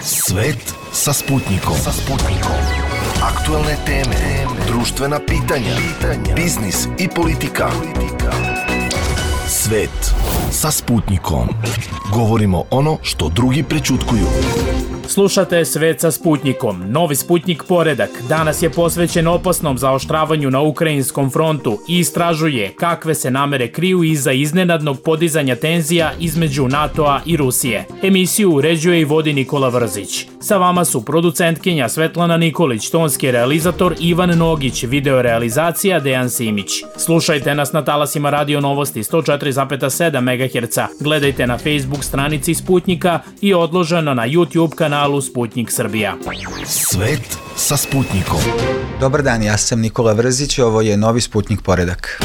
Svet sa Sputnikom. Aktuelne teme, društvena pitanja, biznis i politika. Svet sa Sputnikom. Govorimo ono što drugi prećutkuju. Slušate Svet sa Sputnikom. Novi Sputnik poredak danas je posvećen opasnom zaoštravanju na ukrajinskom frontu i istražuje kakve se namere kriju iza iznenadnog podizanja tenzija između NATO-a i Rusije. Emisiju uređuje i vodi Nikola Vrzić. Sa vama su producentkinja Svetlana Nikolić, tonski realizator Ivan Nogić, video realizacija Dejan Simić. Slušajte nas na talasima Radio Novosti 104,7 MHz. Gledajte na Facebook stranici Sputnika i odloženo na YouTube kanalu Sputnik Srbija. Svet sa Sputnikom. Dobar dan, ja sam Nikola Vrzić, ovo je novi Sputnik poredak.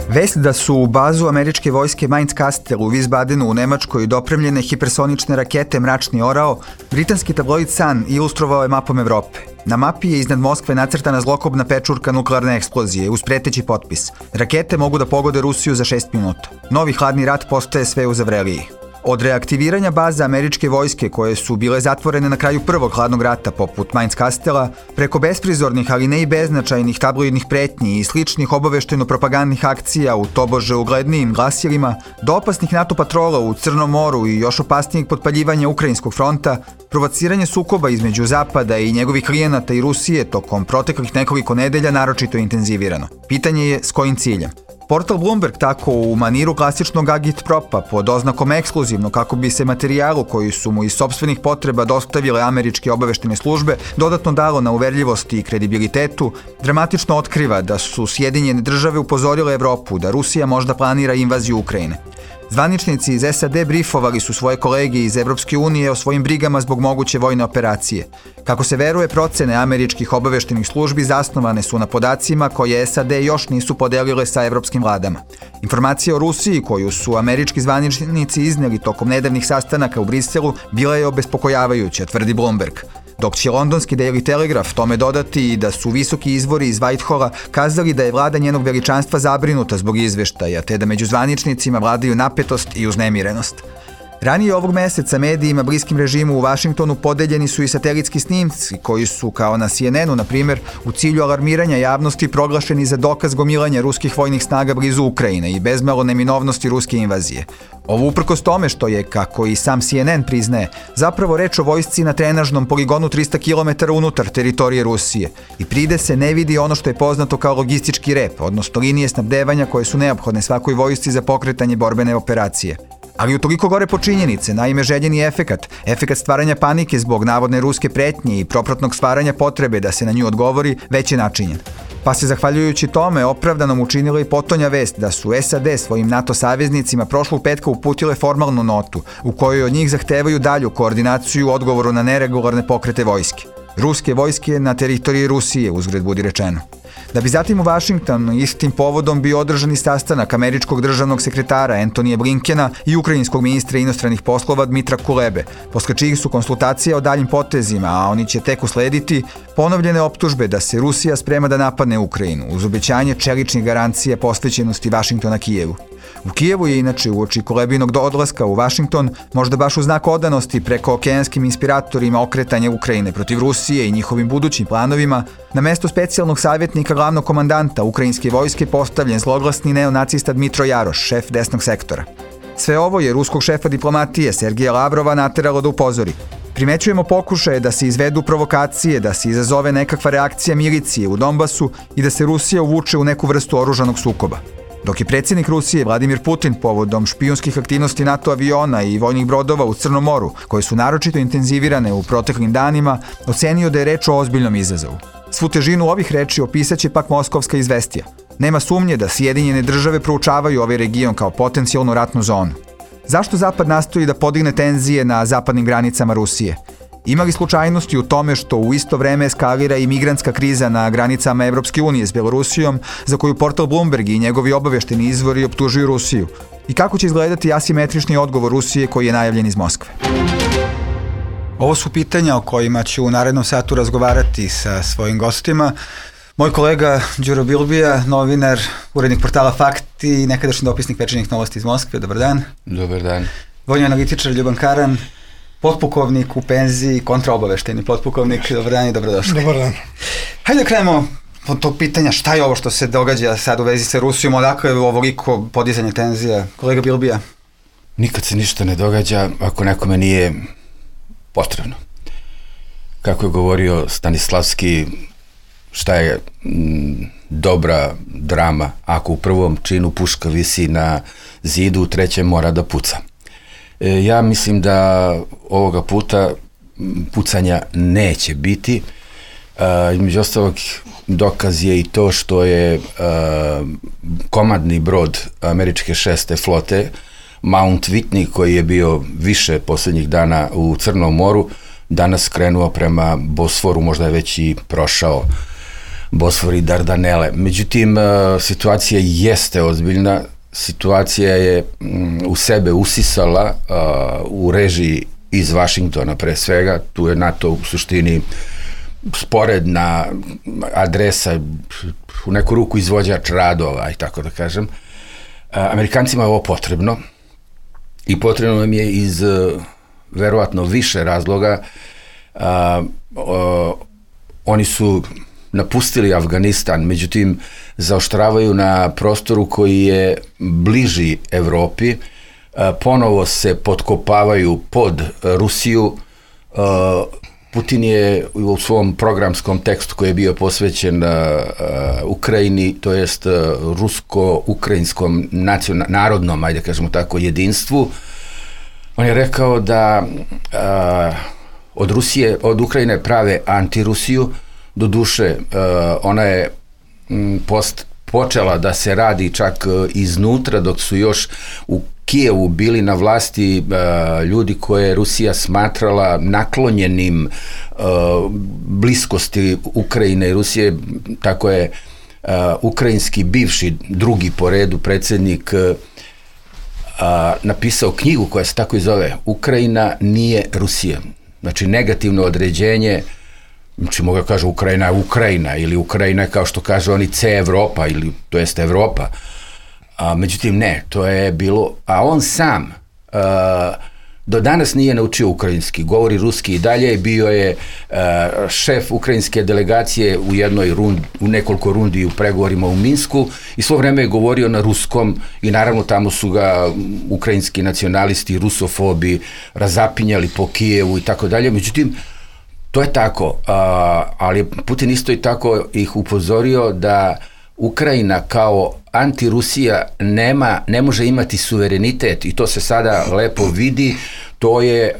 Vest da su u bazu američke vojske Mainz Kastel u Wiesbadenu u Nemačkoj dopremljene hipersonične rakete Mračni orao, britanski tabloid Sun ilustrovao je mapom Evrope. Na mapi je iznad Moskve nacrtana zlokobna pečurka nuklearne eksplozije uz preteći potpis. Rakete mogu da pogode Rusiju za 6 minuta. Novi hladni rat postaje sve uzavreliji. Od reaktiviranja baza američke vojske koje su bile zatvorene na kraju prvog hladnog rata poput Mainz Kastela, preko besprizornih ali ne i beznačajnih tabloidnih pretnji i sličnih obavešteno-propagandnih akcija u tobože uglednijim glasilima, do opasnih NATO patrola u Crnom moru i još opasnijeg potpaljivanja ukrajinskog fronta, provociranje sukoba između Zapada i njegovih klijenata i Rusije tokom proteklih nekoliko nedelja naročito intenzivirano. Pitanje je s kojim ciljem. Portal Bloomberg tako u maniru klasičnog agitpropa pod oznakom ekskluzivno kako bi se materijalu koji su mu iz sopstvenih potreba dostavile američke obaveštene službe dodatno dalo na uverljivosti i kredibilitetu, dramatično otkriva da su Sjedinjene države upozorile Evropu da Rusija možda planira invaziju Ukrajine. Zvaničnici iz SAD brifovali su svoje kolege iz Evropske unije o svojim brigama zbog moguće vojne operacije. Kako se veruje, procene američkih obaveštenih službi zasnovane su na podacima koje SAD još nisu podelile sa evropskim vladama. Informacija o Rusiji koju su američki zvaničnici izneli tokom nedavnih sastanaka u Briselu bila je obespokojavajuća, tvrdi Bloomberg. Dok će londonski Daily Telegraph tome dodati i da su visoki izvori iz Whiteholla kazali da je vlada njenog veličanstva zabrinuta zbog izveštaja, te da među zvaničnicima vladaju napetost i uznemirenost. Ranije ovog meseca medijima bliskim režimu u Vašingtonu podeljeni su i satelitski snimci koji su, kao na CNN-u, na primjer, u cilju alarmiranja javnosti proglašeni za dokaz gomilanja ruskih vojnih snaga blizu Ukrajine i bezmalo neminovnosti ruske invazije. Ovo uprkos tome što je, kako i sam CNN priznaje, zapravo reč o vojsci na trenažnom poligonu 300 km unutar teritorije Rusije i pride se ne vidi ono što je poznato kao logistički rep, odnosno linije snabdevanja koje su neophodne svakoj vojsci za pokretanje borbene operacije. Ali utoliko gore po činjenice, naime željeni efekat stvaranja panike zbog navodne ruske pretnje i propratnog stvaranja potrebe da se na nju odgovori, već je načinjen. Pa se zahvaljujući tome opravdanom učinila i potonja vest da su SAD svojim NATO saveznicima prošlog petka uputile formalnu notu u kojoj od njih zahtevaju dalju koordinaciju u odgovoru na neregularne pokrete vojske. Ruske vojske na teritoriji Rusije, uzgred budi rečeno. Da bi zatim u Vašingtonu istim povodom bio održan i sastanak američkog državnog sekretara Antonija Blinkena i ukrajinskog ministra inostranih poslova Dmitra Kulebe, posle čijih su konsultacija o daljim potezima, a oni će tek uslediti, ponovljene optužbe da se Rusija sprema da napadne Ukrajinu, uz obećanje čeličnih garancija posvećenosti Vašingtona Kijevu. U Kijevu je inače uoči Kulebinog odlaska u Vašington, možda baš u znak odanosti preko okeanskim inspiratorima okretanja Ukrajine protiv Rusije i njihovim budućim planovima, na mesto specijalnog savjetnika glavnog komandanta ukrajinske vojske postavljen zloglasni neonacista Dmitro Jaroš, šef desnog sektora. Sve ovo je ruskog šefa diplomatije Sergeja Lavrova nateralo da upozori. Primećujemo pokušaje da se izvedu provokacije, da se izazove nekakva reakcija milicije u Donbasu i da se Rusija uvuče u neku vrstu oružanog sukoba. Dok je predsjednik Rusije Vladimir Putin povodom špijunskih aktivnosti NATO aviona i vojnih brodova u Crnom moru, koje su naročito intenzivirane u proteklim danima, ocenio da je reč o ozbiljnom izazovu. Svu težinu ovih reči opisaće pak Moskovska izvestija. Nema sumnje da Sjedinjene države proučavaju ovaj region kao potencijalnu ratnu zonu. Zašto Zapad nastoji da podigne tenzije na zapadnim granicama Rusije? Ima li slučajnosti u tome što u isto vreme eskalira i migrantska kriza na granicama Evropske unije s Belorusijom, za koju portal Bloomberg i njegovi obavešteni izvori optužuju Rusiju? I kako će izgledati asimetrični odgovor Rusije koji je najavljen iz Moskve? Ovo su pitanja o kojima ću u narednom satu razgovarati sa svojim gostima. Moj kolega Đuro Bilbija, novinar, urednik portala Fakt i nekadašnji dopisnik Večernjih novosti iz Moskve. Dobar dan. Dobar dan. Vojni analitičar Ljuban Karan potpukovnik u penziji, kontraobavešteni potpukovnik. Dobar dan i dobrodošli. Dobar dan. Hajde da krenemo od tog pitanja šta je ovo što se događa sad u vezi sa Rusijom, odakle je ovoliko podizanje tenzija? Kolega Bilbija? Nikad se ništa ne događa ako nekome nije potrebno. Kako je govorio Stanislavski, šta je dobra drama ako u prvom činu puška visi na zidu, u trećem mora da puca. Ja mislim da ovoga puta pucanja neće biti. Između ostalog dokaz je i to što je komandni brod američke 6. flote Mount Whitney, koji je bio više poslednjih dana u Crnom moru, danas krenuo prema Bosforu, možda je već i prošao Bosfor i Dardanele. Međutim, situacija jeste ozbiljna, situacija je u sebe usisala u režiji iz Vašingtona pre svega, tu je NATO u suštini sporedna adresa, u neku ruku izvođač radova, i tako da kažem. Amerikancima je ovo potrebno i potrebno nam je iz verovatno više razloga. Oni su napustili Afganistan, međutim zaoštravaju na prostoru koji je bliži Evropi, ponovo se potkopavaju pod Rusiju. Putin je u svom programskom tekstu koji je bio posvećen Ukrajini, to jest rusko-ukrajinskom narodnom, ajde kažemo tako, jedinstvu, on je rekao da od Ukrajine prave antirusiju. Doduše, ona je počela da se radi čak iznutra, dok su još u Kijevu bili na vlasti ljudi koje je Rusija smatrala naklonjenim bliskosti Ukrajine i Rusije. Tako je ukrajinski bivši drugi po redu predsjednik napisao knjigu koja se tako i zove Ukrajina nije Rusija. Znači negativno određenje, znači mogu da kažu Ukrajina je Ukrajina ili Ukrajina je kao što kažu oni C Evropa ili to jest Evropa. Međutim ne, to je bilo, a on sam do danas nije naučio ukrajinski, govori ruski i dalje, bio je šef ukrajinske delegacije u nekoliko rundi u pregovorima u Minsku i svo vreme je govorio na ruskom i naravno tamo su ga ukrajinski nacionalisti, rusofobi razapinjali po Kijevu i tako dalje, međutim to je tako, ali Putin isto i tako ih upozorio da Ukrajina kao antirusija ne može imati suverenitet i to se sada lepo vidi, to je,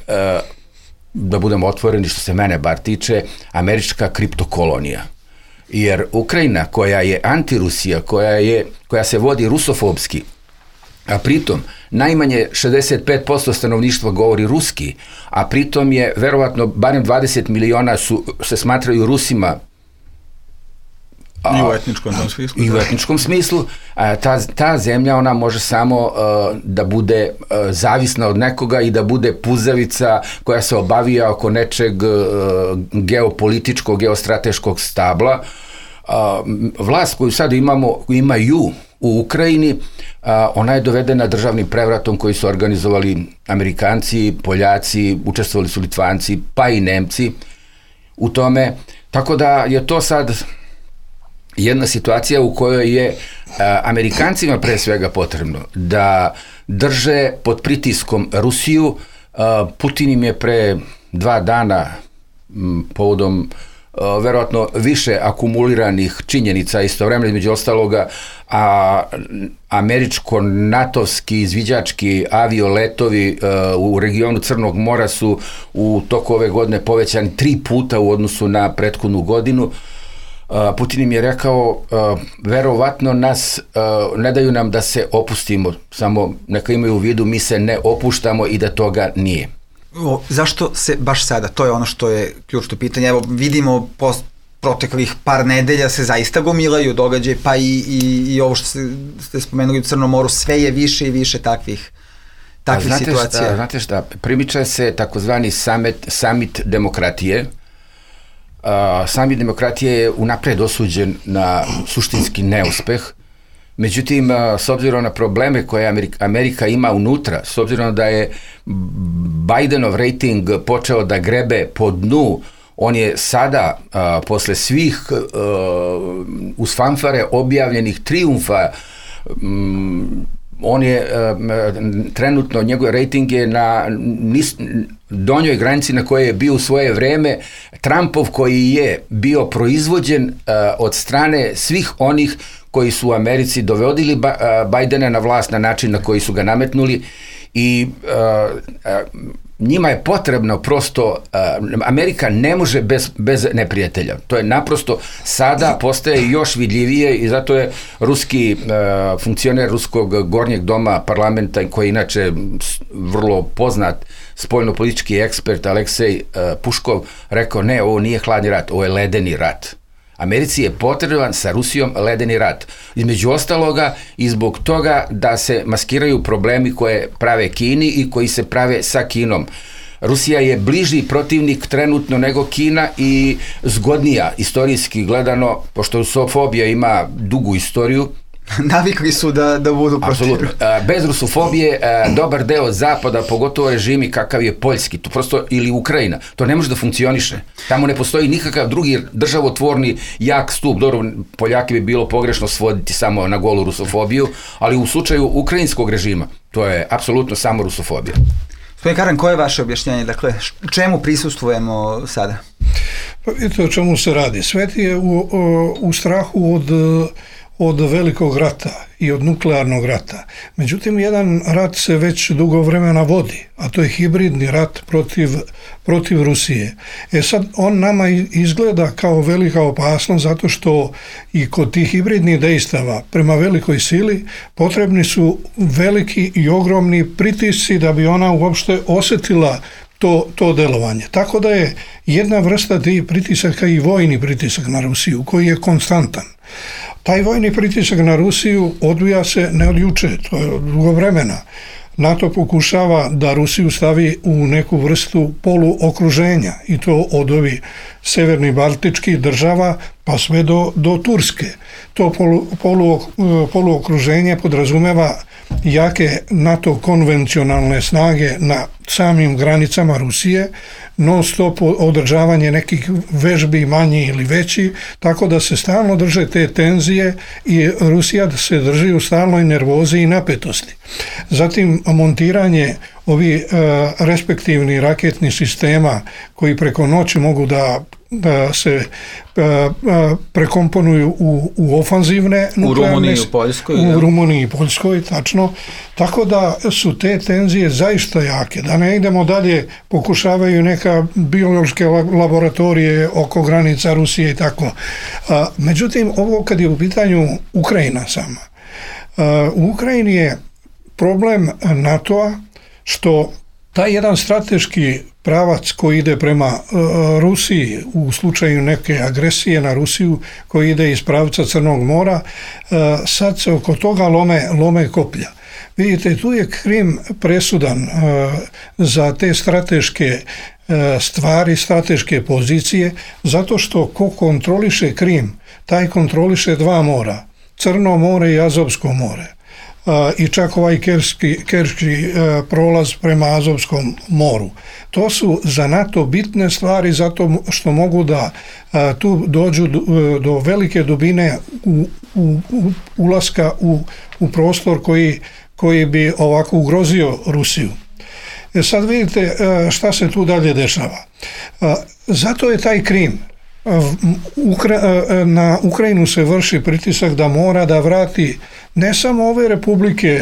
da budemo otvoreni što se mene bar tiče, američka kriptokolonija. Jer Ukrajina koja je antirusija, koja se vodi rusofobski, a pritom najmanje 65% stanovništva govori ruski, a pritom je verovatno barem 20 miliona se smatraju Rusima. I u etničkom smislu. I u etničkom smislu. Ta zemlja, ona može samo da bude zavisna od nekoga i da bude puzavica koja se obavija oko nečeg geopolitičkog, geostrateškog stabla. Vlast koju sad imaju u Ukrajini, ona je dovedena državnim prevratom koji su organizovali Amerikanci, Poljaci, učestvovali su Litvanci, pa i Nemci u tome. Tako da je to sad jedna situacija u kojoj je Amerikancima pre svega potrebno da drže pod pritiskom Rusiju. Putin im je pre 2 dana povodom verovatno više akumuliranih činjenica istovremeno, između ostaloga, američko-natovski izviđački avioletovi u regionu Crnog mora su u toku ove godine povećani 3 puta u odnosu na prethodnu godinu. Putin im je rekao, verovatno ne daju nam da se opustimo, samo neka imaju u vidu, mi se ne opuštamo i da toga nije. Zašto se baš sada? To je ono što je ključno pitanje. Evo, vidimo proteklih par nedelja se zaista gomilaju događaje, pa i ovo što ste spomenuli u Crnom moru, sve je više i više takvih situacija. Znate šta, primiče se takozvani summit demokratije. Summit demokratije je unapred osuđen na suštinski neuspeh. Međutim, s obzirom na probleme koje Amerika ima unutra, s obzirom da je Bidenov rating počeo da grebe po dnu, on je sada, posle svih uz fanfare objavljenih trijumfa, on je trenutno, njegov rating je na donjoj granici na kojoj je bio u svoje vreme. Trumpov koji je bio proizvođen od strane svih onih koji su u Americi dovodili Bidena na vlast na način na koji su ga nametnuli i njima je potrebno prosto, Amerika ne može bez neprijatelja. To je naprosto sada postaje još vidljivije i zato je ruski funkcioner ruskog gornjeg doma parlamenta, koji je inače vrlo poznat spoljnopolitički ekspert Aleksej Puškov, rekao ne, ovo nije hladni rat, ovo je ledeni rat. Americi je potreban sa Rusijom ledeni rat. Između ostaloga i zbog toga da se maskiraju problemi koje prave Kini i koji se prave sa Kinom. Rusija je bliži protivnik trenutno nego Kina i zgodnija istorijski gledano, pošto rusofobija ima dugu istoriju. Navikli su da budu protiv. Bez rusofobije dobar deo zapada, pogotovo režimi kakav je poljski, to prosto, ili Ukrajina, to ne može da funkcioniše. Tamo ne postoji nikakav drugi državotvorni jak stup. Dobro, Poljaki bi bilo pogrešno svoditi samo na golu rusofobiju, ali u slučaju ukrajinskog režima to je apsolutno samo rusofobija. Gospodin Karan, koje je vaše objašnjenje? Dakle, čemu prisustvujemo sada? Pa vidite o čemu se radi. Svet je u strahu od velikog rata i od nuklearnog rata. Međutim, jedan rat se već dugo vremena vodi, a to je hibridni rat protiv Rusije. Sad, on nama izgleda kao velika opasnost zato što i kod tih hibridnih dejstava prema velikoj sili potrebni su veliki i ogromni pritisci da bi ona uopšte osjetila to delovanje. Tako da je jedna vrsta tih pritisaka i vojni pritisak na Rusiju, koji je konstantan. Taj vojni pritisak na Rusiju odvija se ne od juče, to je od dugo vremena. NATO pokušava da Rusiju stavi u neku vrstu poluokruženja i to od ovih severnih baltičkih država pa sve do Turske. To poluokruženje podrazumeva jake NATO konvencionalne snage na samim granicama Rusije, non stop održavanje nekih vežbi manji ili veći, tako da se stalno drže te tenzije i Rusija se drži u stalnoj nervozi i napetosti. Zatim montiranje ovih respektivnih raketnih sistema koji preko noći mogu da se prekomponuju u ofanzivne nuklearne, u Rumuniji i Poljskoj, tačno. Tako da su te tenzije zaista jake. Da ne idemo dalje, pokušavaju neka biološke laboratorije oko granica Rusije i tako. Međutim, ovo kad je u pitanju Ukrajina sama. U Ukrajini je problem NATO-a što taj jedan strateški pravac koji ide prema Rusiji u slučaju neke agresije na Rusiju, koji ide iz pravca Crnog mora, sad se oko toga lome koplja. Vidite, tu je Krim presudan za te strateške stvari, strateške pozicije, zato što ko kontroliše Krim, taj kontroliše dva mora, Crno more i Azovsko more. I čak ovaj Kerčki prolaz prema Azovskom moru. To su za NATO bitne stvari zato što mogu da tu dođu do velike dubine ulaska u prostor koji bi ovako ugrozio Rusiju. Sad vidite šta se tu dalje dešava. Zato je taj Krim. Na Ukrajinu se vrši pritisak da mora da vrati ne samo ove republike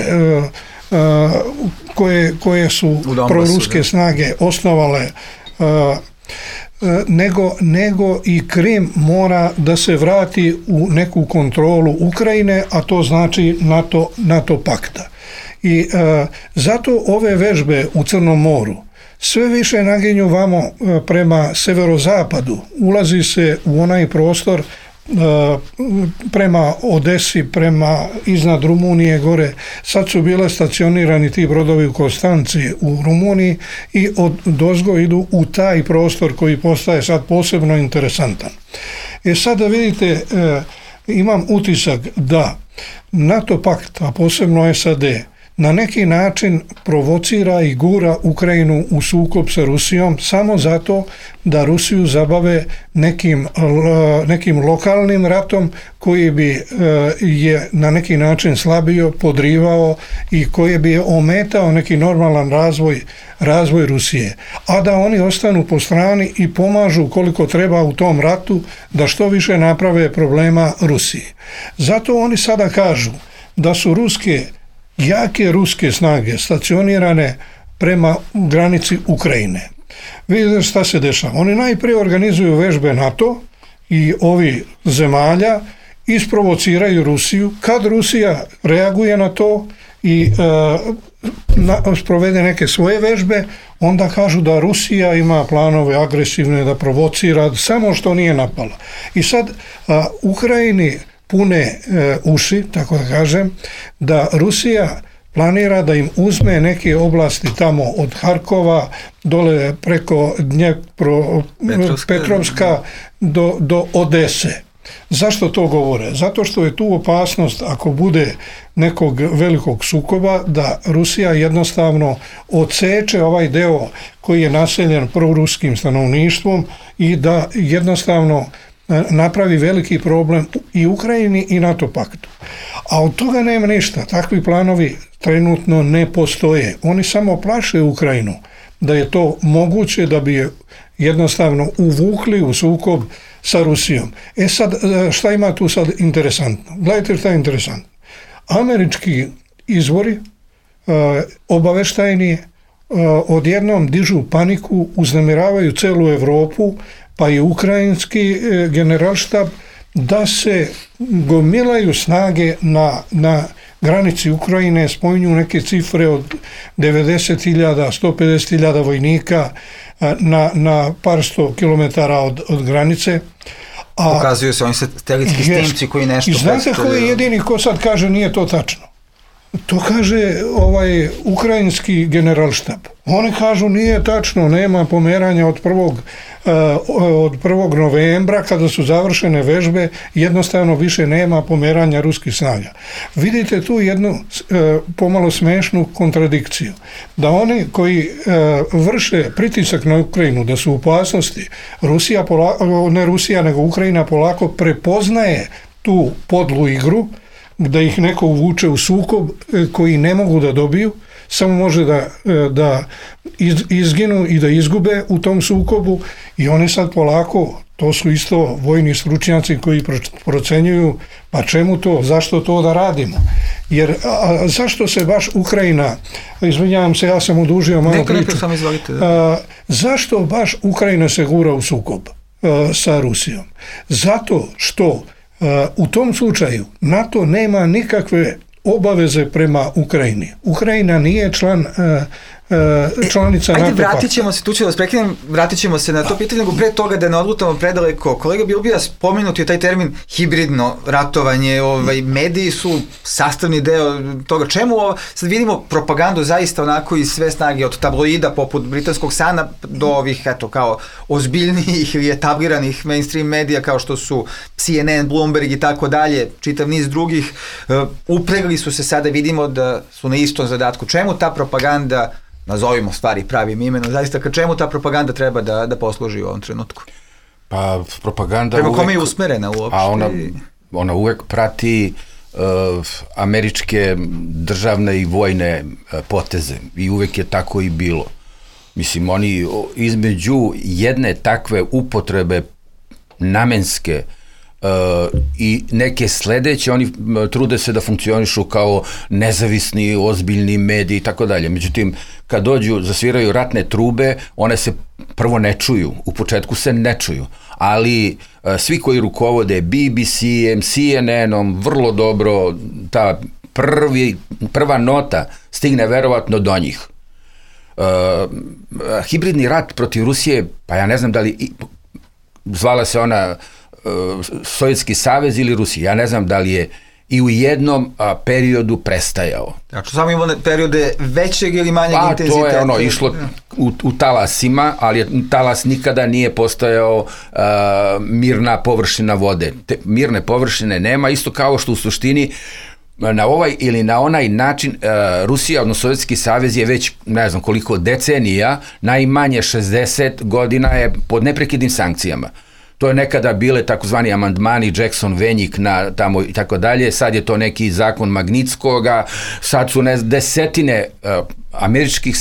koje su proruske snage osnovale, nego i Krim mora da se vrati u neku kontrolu Ukrajine, a to znači NATO pakta. I zato ove vežbe u Crnom moru sve više naginju vamo prema severozapadu, ulazi se u onaj prostor prema Odesi, prema iznad Rumunije gore. Sad su bile stacionirani ti brodovi u Konstanci u Rumuniji i odozgo idu u taj prostor koji postaje sad posebno interesantan. Sad da vidite, imam utisak da NATO pakt, a posebno SAD, na neki način provocira i gura Ukrajinu u sukob sa Rusijom samo zato da Rusiju zabave nekim lokalnim ratom koji bi je na neki način slabio, podrivao i koji bi ometao neki normalan razvoj Rusije. A da oni ostanu po strani i pomažu koliko treba u tom ratu da što više naprave problema Rusiji. Zato oni sada kažu da su jake ruske snage stacionirane prema granici Ukrajine. Vidite šta se dešava. Oni najprije organizuju vežbe NATO i ovi zemalja, isprovociraju Rusiju. Kad Rusija reaguje na to i sprovede neke svoje vežbe, onda kažu da Rusija ima planove agresivne, da provocira, samo što nije napala. I sad Ukrajini pune uši, tako da kažem, da Rusija planira da im uzme neke oblasti tamo od Harkova dole preko Petrovska do Odese. Zašto to govore? Zato što je tu opasnost, ako bude nekog velikog sukoba, da Rusija jednostavno odseče ovaj deo koji je naseljen proruskim stanovništvom i da jednostavno napravi veliki problem i Ukrajini i NATO paktu. A od toga nema ništa. Takvi planovi trenutno ne postoje. Oni samo plaše Ukrajinu da je to moguće, da bi je jednostavno uvukli u sukob sa Rusijom. Sad, šta ima tu sad interesantno? Gledajte šta je interesantno. Američki izvori obaveštajni odjednom dižu paniku, uznemiravaju celu Evropu, pa i ukrajinski generalštab, da se gomilaju snage na granici Ukrajine, spominju neke cifre od 90.000, 150.000 vojnika na par sto kilometara od granice. Pokazuju se oni satelitski snimci koji nešto predstavljaju. I znate ko je jedini ko sad kaže nije to tačno? To kaže ukrajinski generalštab. Oni kažu nije tačno, nema pomeranja od 1. novembra kada su završene vežbe, jednostavno više nema pomeranja ruskih snaga. Vidite tu jednu pomalo smešnu kontradikciju. Da oni koji vrše pritisak na Ukrajinu, da su u opasnosti, ne Rusija nego Ukrajina polako prepoznaje tu podlu igru, da ih neko uvuče u sukob koji ne mogu da dobiju, samo može da izginu i da izgube u tom sukobu i oni sad polako, to su isto vojni stručnjaci koji procenjuju pa čemu to, zašto to da radimo. Jer zašto se baš Ukrajina, izvinjavam se, ja sam odužio malo priču, zašto baš Ukrajina se gura u sukob sa Rusijom? Zato što u tom slučaju NATO nema nikakve obaveze prema Ukrajini. Ukrajina nije članica NATO pakta. Vratit ćemo se, tu ću vas prekinem, vratit ćemo se na to pitanje, nego pre toga da ne odlutamo predaleko. Kolega Bilbija, spomenut je taj termin hibridno ratovanje, mediji su sastavni deo toga. Čemu sad vidimo propagandu zaista onako iz sve snage, od tabloida poput britanskog Sana do ovih, eto, kao ozbiljnijih ili etabliranih mainstream medija kao što su CNN, Bloomberg i tako dalje, čitav niz drugih, upregli su se sada, vidimo da su na istom zadatku. Čemu ta propaganda, nazovimo stvari pravim imenom, zaista ka čemu ta propaganda treba da posluži u ovom trenutku? Pa propaganda prema kome je usmerena uopšte? A ona uvek prati američke državne i vojne poteze i uvek je tako i bilo. Mislim, oni između jedne takve upotrebe namenske i neke sledeće, oni trude se da funkcionišu kao nezavisni, ozbiljni mediji i tako dalje. Međutim, kad dođu, zasviraju ratne trube, one se prvo ne čuju, u početku se ne čuju, ali svi koji rukovode BBC-em, CNN-om, vrlo dobro, ta prva nota stigne verovatno do njih. Hibridni rat protiv Rusije, pa ja ne znam da li zvala se ona Sovjetski savez ili Rusija. Ja ne znam da li je i u jednom periodu prestajao. Znači, samo imamo periode većeg ili manjeg intenziteta? To je išlo u talasima, ali talas nikada nije postojao mirna površina vode. Mirne površine nema, isto kao što u suštini na ovaj ili na onaj način Rusija, odnosno Sovjetski savez je već ne znam koliko decenija, najmanje 60 godina je pod neprekidnim sankcijama. To je nekada bile takozvani amandmani Jackson, Venjik na tamo i tako dalje, sad je to neki zakon Magnitskoga, sad su desetine američkih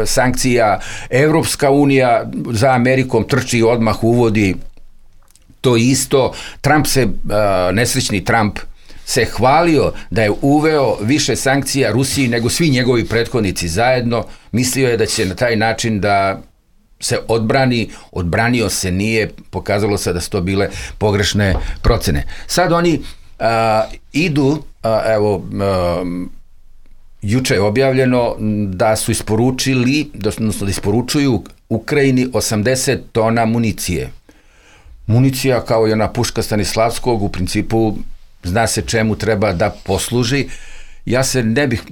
sankcija, Evropska unija za Amerikom trči i odmah uvodi to isto. Trump nesrećni Trump se hvalio da je uveo više sankcija Rusiji nego svi njegovi prethodnici zajedno. Mislio je da će na taj način da se odbranio se nije, pokazalo se da su to bile pogrešne procene. Sad oni idu, juče je objavljeno da su isporučili, odnosno da isporučuju Ukrajini 80 tona municije. Municija kao i ona puška Stanislavskog u principu zna se čemu treba da posluži. Ja se ne bih,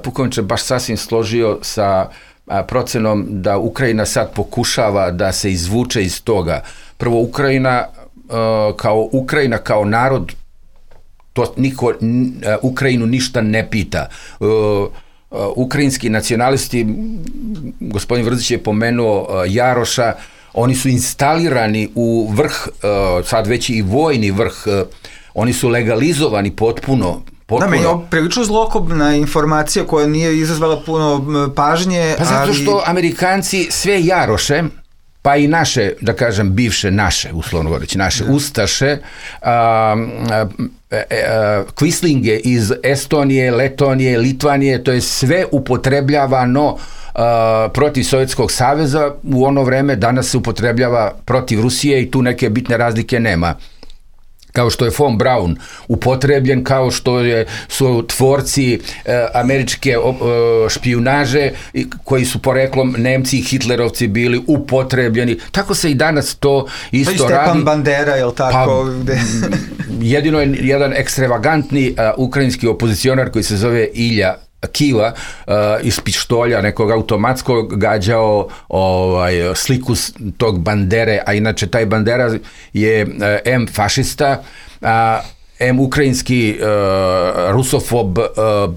pukovniče, baš sasvim složio sa procenom da Ukrajina sad pokušava da se izvuče iz toga. Prvo, Ukrajina kao narod, to niko Ukrajinu ništa ne pita. Ukrajinski nacionalisti, gospodin Vrdzić je pomenuo Jaroša, oni su instalirani u vrh, sad već i vojni vrh, oni su legalizovani potpuno. Da, meni je prilično zlokobna informacija koja nije izazvala puno pažnje. Pa zato što Amerikanci sve Jaroše, pa i naše, da kažem, bivše naše, uslovno govoreći, naše ustaše, kvislinge iz Estonije, Letonije, Litvanije, to je sve upotrebljavano protiv Sovjetskog saveza u ono vreme, danas se upotrebljava protiv Rusije i tu neke bitne razlike nema. Kao što je von Braun upotrebljen, kao što su tvorci američke špijunaže koji su poreklom Nemci i Hitlerovci bili upotrebljeni. Tako se i danas to isto radi. Pa i Stepan Bandera, je li tako? Pa, jedino je jedan ekstravagantni ukrajinski opozicionar koji se zove Ilja Kiva iz pištolja nekog automatskog gađao sliku tog Bandere, a inače taj Bandera je M fašista, M ukrajinski rusofob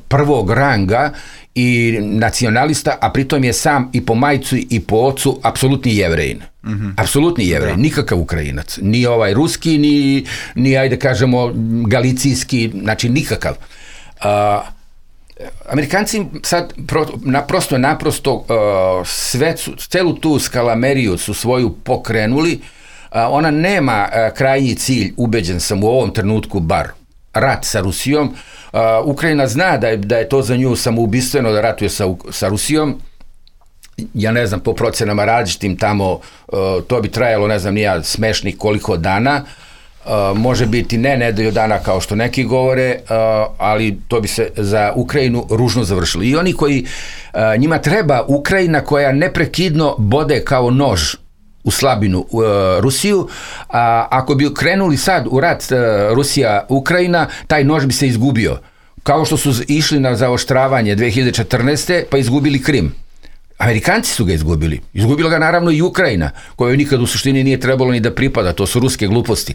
prvog ranga i nacionalista, a pritom je sam i po majcu i po ocu apsolutni Jevrejin. Apsolutni Jevrejin, nikakav Ukrajinac. Ni ovaj ruski, ni ajde kažemo galicijski, znači nikakav. Amerikanci sad naprosto celu tu skalameriju su svoju pokrenuli, ona nema krajnji cilj, ubeđen sam u ovom trenutku bar, rat sa Rusijom. Ukrajina zna da je to za nju samoubistveno da ratuje sa Rusijom. Ja ne znam, po procenama različitim tamo, to bi trajalo, ne znam, nija smešnih koliko dana, može biti ne nedelju dana kao što neki govore, ali to bi se za Ukrajinu ružno završilo. I oni koji, njima treba Ukrajina koja neprekidno bode kao nož u slabinu Rusiju, a ako bi krenuli sad u rat Rusija-Ukrajina, taj nož bi se izgubio. Kao što su išli na zaoštravanje 2014. pa izgubili Krim. Amerikanci su ga izgubili. Izgubila ga naravno i Ukrajina, kojoj nikad u suštini nije trebalo ni da pripada, to su ruske gluposti.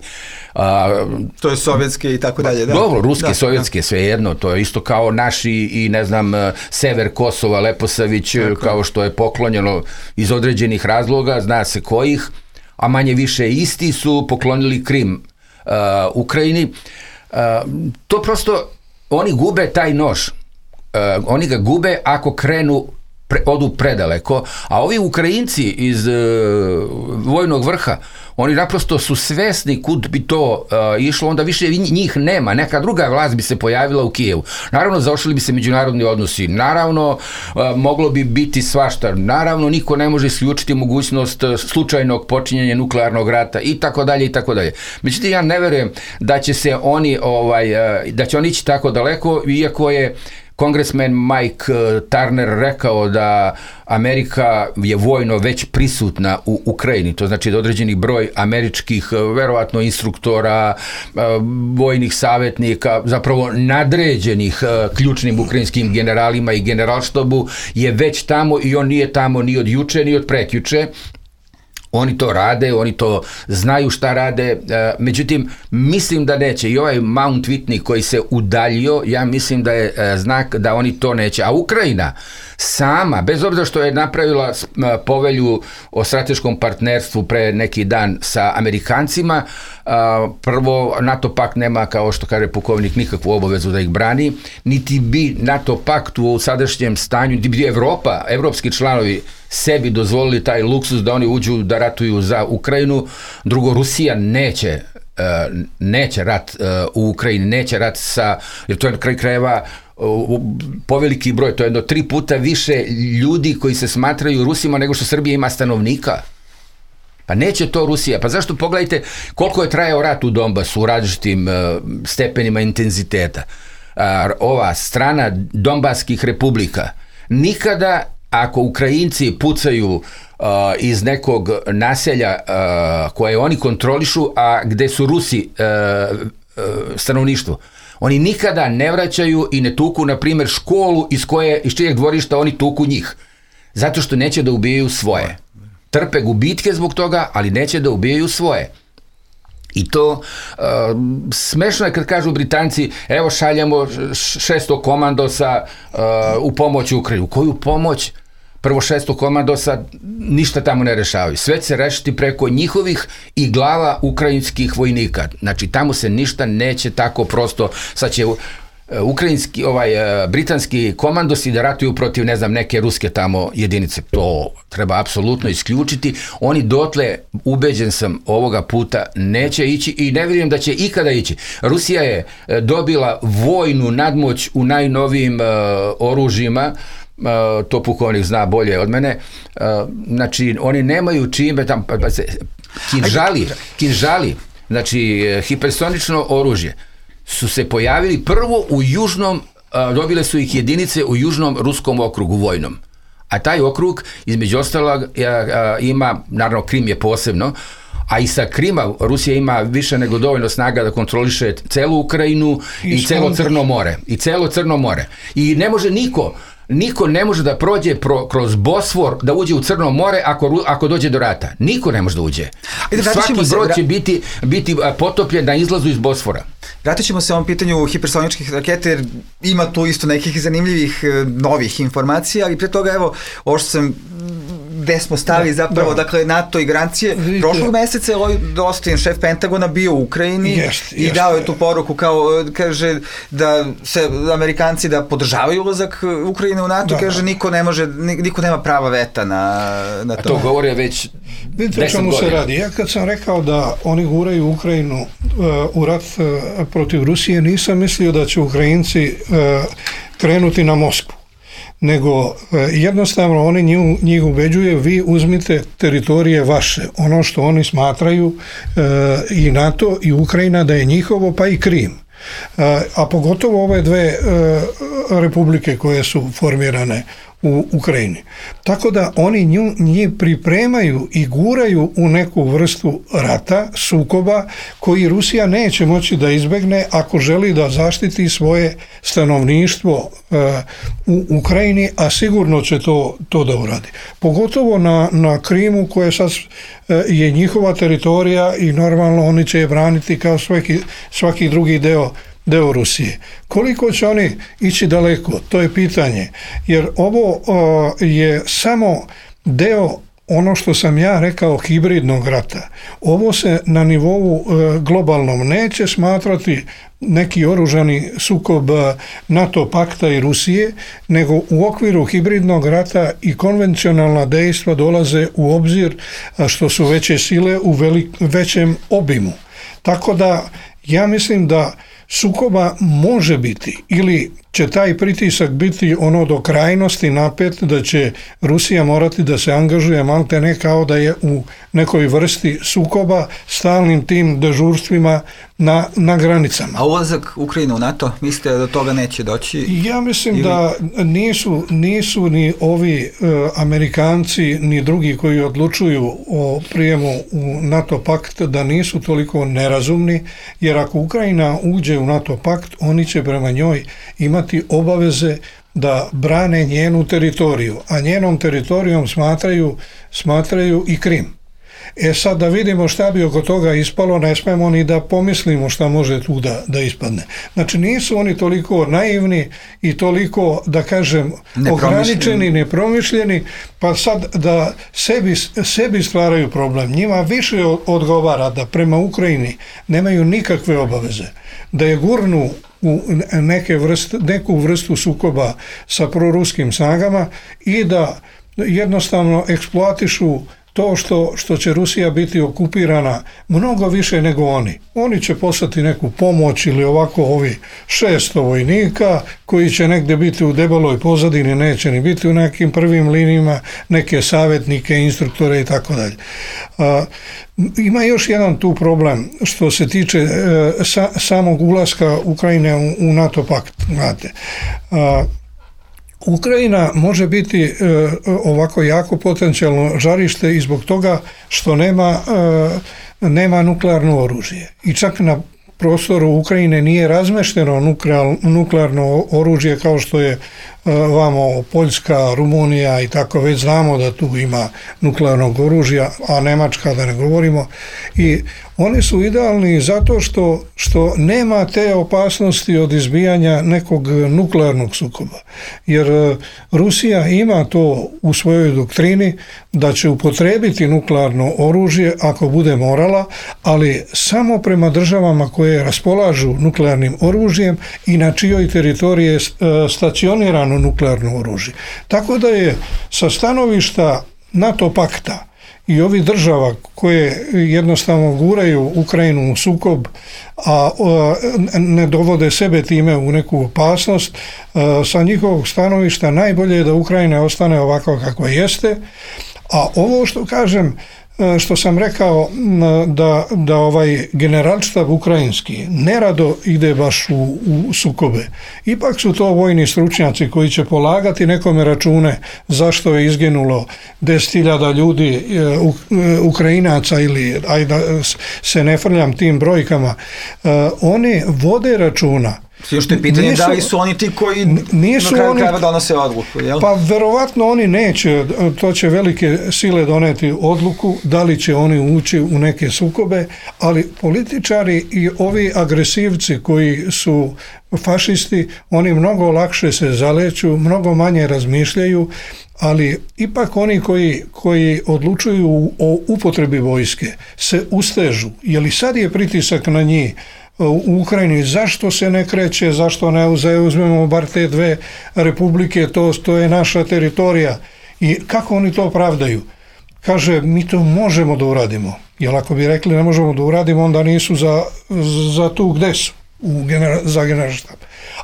To je sovjetske i tako dalje. Da. Dobro, ruske, sovjetske, svejedno, to je isto kao naši i ne znam, sever Kosova, Leposavić, kao što je poklonjeno iz određenih razloga, zna se kojih, a manje više isti su poklonili Krim Ukrajini. To prosto, oni gube taj nož. Oni ga gube ako krenu odu predaleko, a ovi Ukrajinci iz vojnog vrha, oni naprosto su svesni kud bi to išlo, onda više njih nema, neka druga vlast bi se pojavila u Kijevu. Naravno, zaošli bi se međunarodni odnosi, naravno, moglo bi biti svašta, naravno, niko ne može isključiti mogućnost slučajnog počinjenja nuklearnog rata i tako dalje i tako dalje. Međutim, ja ne verujem da će se oni, da će oni ići tako daleko, iako je kongresmen Mike Turner rekao da Amerika je vojno već prisutna u Ukrajini, to znači da određeni broj američkih, verovatno instruktora, vojnih savjetnika, zapravo nadređenih ključnim ukrajinskim generalima i generalštabu je već tamo i on nije tamo ni od juče ni od prekjuče. Oni to rade, oni to znaju šta rade, međutim, mislim da neće. I ovaj Mount Whitney koji se udaljio, ja mislim da je znak da oni to neće. A Ukrajina sama, bez obzira što je napravila povelju o strateškom partnerstvu pre neki dan sa Amerikancima, prvo, NATO pakt nema, kao što kaže pukovnik, nikakvu obavezu da ih brani, niti bi NATO pakt u sadašnjem stanju, niti bi Evropa, evropski članovi sebi dozvolili taj luksus da oni uđu da ratuju za Ukrajinu. Drugo, Rusija neće rat u Ukrajini, neće rat sa, jer to je na kraju krajeva poveliki broj, to je 3 puta više ljudi koji se smatraju Rusima nego što Srbija ima stanovnika. Pa neće to Rusija. Pa zašto? Pogledajte koliko je trajao rat u Donbasu u različitim stepenima intenziteta. Ova strana Donbaskih republika nikada, ako Ukrajinci pucaju iz nekog naselja koje oni kontrolišu, a gde su Rusi stanovništvo, oni nikada ne vraćaju i ne tuku, na primjer, školu iz čijeg dvorišta oni tuku njih. Zato što neće da ubijaju svoje. Trpe gubitke zbog toga, ali neće da ubijaju svoje. I to smešno je kad kažu Britanci, evo šaljemo 600 komandosa u pomoć Ukrajinu. Koju pomoć? Prvo, 600 komandosa ništa tamo ne rešavaju. Sve će se rešiti preko njihovih i glava ukrajinskih vojnika. Znači, tamo se ništa neće tako prosto. Sad će britanski komandosi da ratuju protiv, ne znam, neke ruske tamo jedinice. To treba apsolutno isključiti. Oni dotle, ubeđen sam, ovoga puta neće ići i ne vjerujem da će ikada ići. Rusija je dobila vojnu nadmoć u najnovijim oružjima, to pukovnik zna bolje od mene, znači oni nemaju čime tam, kinžali, znači hipersonično oružje su se pojavili prvo u južnom, dobile su ih jedinice u južnom ruskom okrugu vojnom, a taj okrug između ostalog ima, naravno Krim je posebno, a i sa Krima Rusija ima više nego dovoljno snaga da kontroliše celu Ukrajinu i celo Crno more. I ne može niko ne može da prođe kroz Bosfor, da uđe u Crno more ako dođe do rata. Niko ne može da uđe. Svaki brod će biti potopljen na izlazu iz Bosfora. Vratit ćemo se ovom pitanju hipersoničkih raketa, jer ima tu isto nekih zanimljivih novih informacija, ali pre toga, evo, ovo što sam gde smo stali zapravo, dakle, NATO i garancije. Prošlog meseca je Lloyd Austin, šef Pentagona, bio u Ukrajini i dao je tu poruku, kao, kaže da se Amerikanci da podržavaju ulazak Ukrajine u NATO, kaže niko nema prava veta na to. A to govore već 10 godina. O čemu se radi? Ja kad sam rekao da oni guraju Ukrajinu u rat protiv Rusije, nisam mislio da će Ukrajinci krenuti na Moskvu, nego jednostavno oni njih ubeđuje, vi uzmite teritorije vaše, ono što oni smatraju i NATO i Ukrajina da je njihovo, pa i Krim. A pogotovo ove dve republike koje su formirane u Ukrajini. Tako da oni njih pripremaju i guraju u neku vrstu rata, sukoba, koji Rusija neće moći da izbegne ako želi da zaštiti svoje stanovništvo u Ukrajini, a sigurno će to da uradi. Pogotovo na Krimu, koje sad je njihova teritorija i normalno oni će je braniti kao svaki drugi deo Rusije. Koliko će oni ići daleko, to je pitanje, jer ovo je samo deo, ono što sam ja rekao, hibridnog rata. Ovo se na nivou globalnom neće smatrati neki oružani sukob NATO pakta i Rusije, nego u okviru hibridnog rata i konvencionalna dejstva dolaze u obzir, što su veće sile u većem obimu. Tako da ja mislim da sukoba može biti, ili će taj pritisak biti ono do krajnosti napet, da će Rusija morati da se angažuje malte ne kao da je u nekoj vrsti sukoba, stalnim tim dežurstvima na granicama. A ulazak Ukrajine u NATO, mislite da do toga neće doći? Ja mislim da nisu ni ovi Amerikanci ni drugi koji odlučuju o prijemu u NATO pakt, da nisu toliko nerazumni, jer ako Ukrajina uđe u NATO pakt, oni će prema njoj imati obaveze da brane njenu teritoriju, a njenom teritorijom smatraju i Krim. Sad da vidimo šta bi oko toga ispalo, ne smemo ni da pomislimo šta može tu da ispadne. Znači nisu oni toliko naivni i toliko, da kažem, ograničeni, nepromišljeni, pa sad da sebi stvaraju problem. Njima više odgovara da prema Ukrajini nemaju nikakve obaveze, da je gurnu u neku vrstu sukoba sa proruskim snagama i da jednostavno eksploatišu to što će Rusija biti okupirana mnogo više nego oni. Oni će poslati neku pomoć ili ovako ovi 600 vojnika koji će negdje biti u debeloj pozadini, neće ni biti u nekim prvim linijama, neke savjetnike, instruktore i tako dalje. Ima još jedan tu problem što se tiče samog ulaska Ukrajine u NATO pakt. Znate, Ukrajina može biti ovako jako potencijalno žarište i zbog toga što nema nuklearno oružje. I čak na prostoru Ukrajine nije razmešteno nuklearno oružje kao što je vamo Poljska, Rumunija i tako, već znamo da tu ima nuklearnog oružja, a Nemačka da ne govorimo. I oni su idealni zato što nema te opasnosti od izbijanja nekog nuklearnog sukoba. Jer Rusija ima to u svojoj doktrini da će upotrijebiti nuklearno oružje ako bude morala, ali samo prema državama koje raspolažu nuklearnim oružjem i na čijoj teritoriji je stacionirano nuklearno oružje. Tako da je sa stanovišta NATO pakta i ovih država koje jednostavno guraju Ukrajinu u sukob, a ne dovode sebe time u neku opasnost, sa njihovog stanovišta najbolje je da Ukrajina ostane ovako kako jeste, a ovo što kažem, što sam rekao da ovaj generalštab ukrajinski nerado ide baš u sukobe. Ipak su to vojni stručnjaci koji će polagati nekome račune zašto je izginulo 10.000 ljudi Ukrajinaca ili da se ne frljam tim brojkama. Oni vode računa. Što je pitanje da li su oni ti koji na kraju krajeva donose odluku, jel? Pa verovatno oni neće, to će velike sile doneti odluku, da li će oni ući u neke sukobe, ali političari i ovi agresivci koji su fašisti, oni mnogo lakše se zaleću, mnogo manje razmišljaju, ali ipak oni koji odlučuju o upotrebi vojske se ustežu, jer i sad je pritisak na njih u Ukrajini, zašto se ne kreće, zašto ne uzmemo bar te dve republike, to je naša teritorija. I kako oni to pravdaju? Kaže, mi to možemo da uradimo. Jer ako bi rekli ne možemo da uradimo, onda nisu za tu gde su, za generalštab.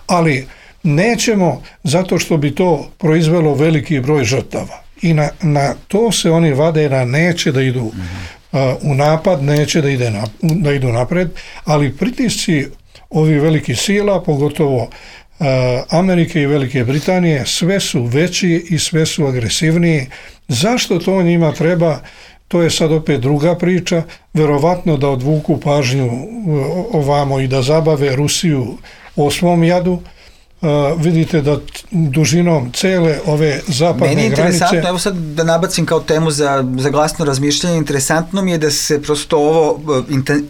Ali nećemo, zato što bi to proizvelo veliki broj žrtava. I na to se oni vade, na neće da idu u napad, neće da idu napred, ali pritisci ovih velikih sila, pogotovo Amerike i Velike Britanije, sve su veći i sve su agresivniji. Zašto to njima treba? To je sad opet druga priča, verovatno da odvuku pažnju ovamo i da zabave Rusiju o svom jadu. Vidite da dužinom cele ove zapadne granice... Meni je interesantno, evo sad da nabacim kao temu za glasno razmišljanje, interesantno mi je da se prosto ovo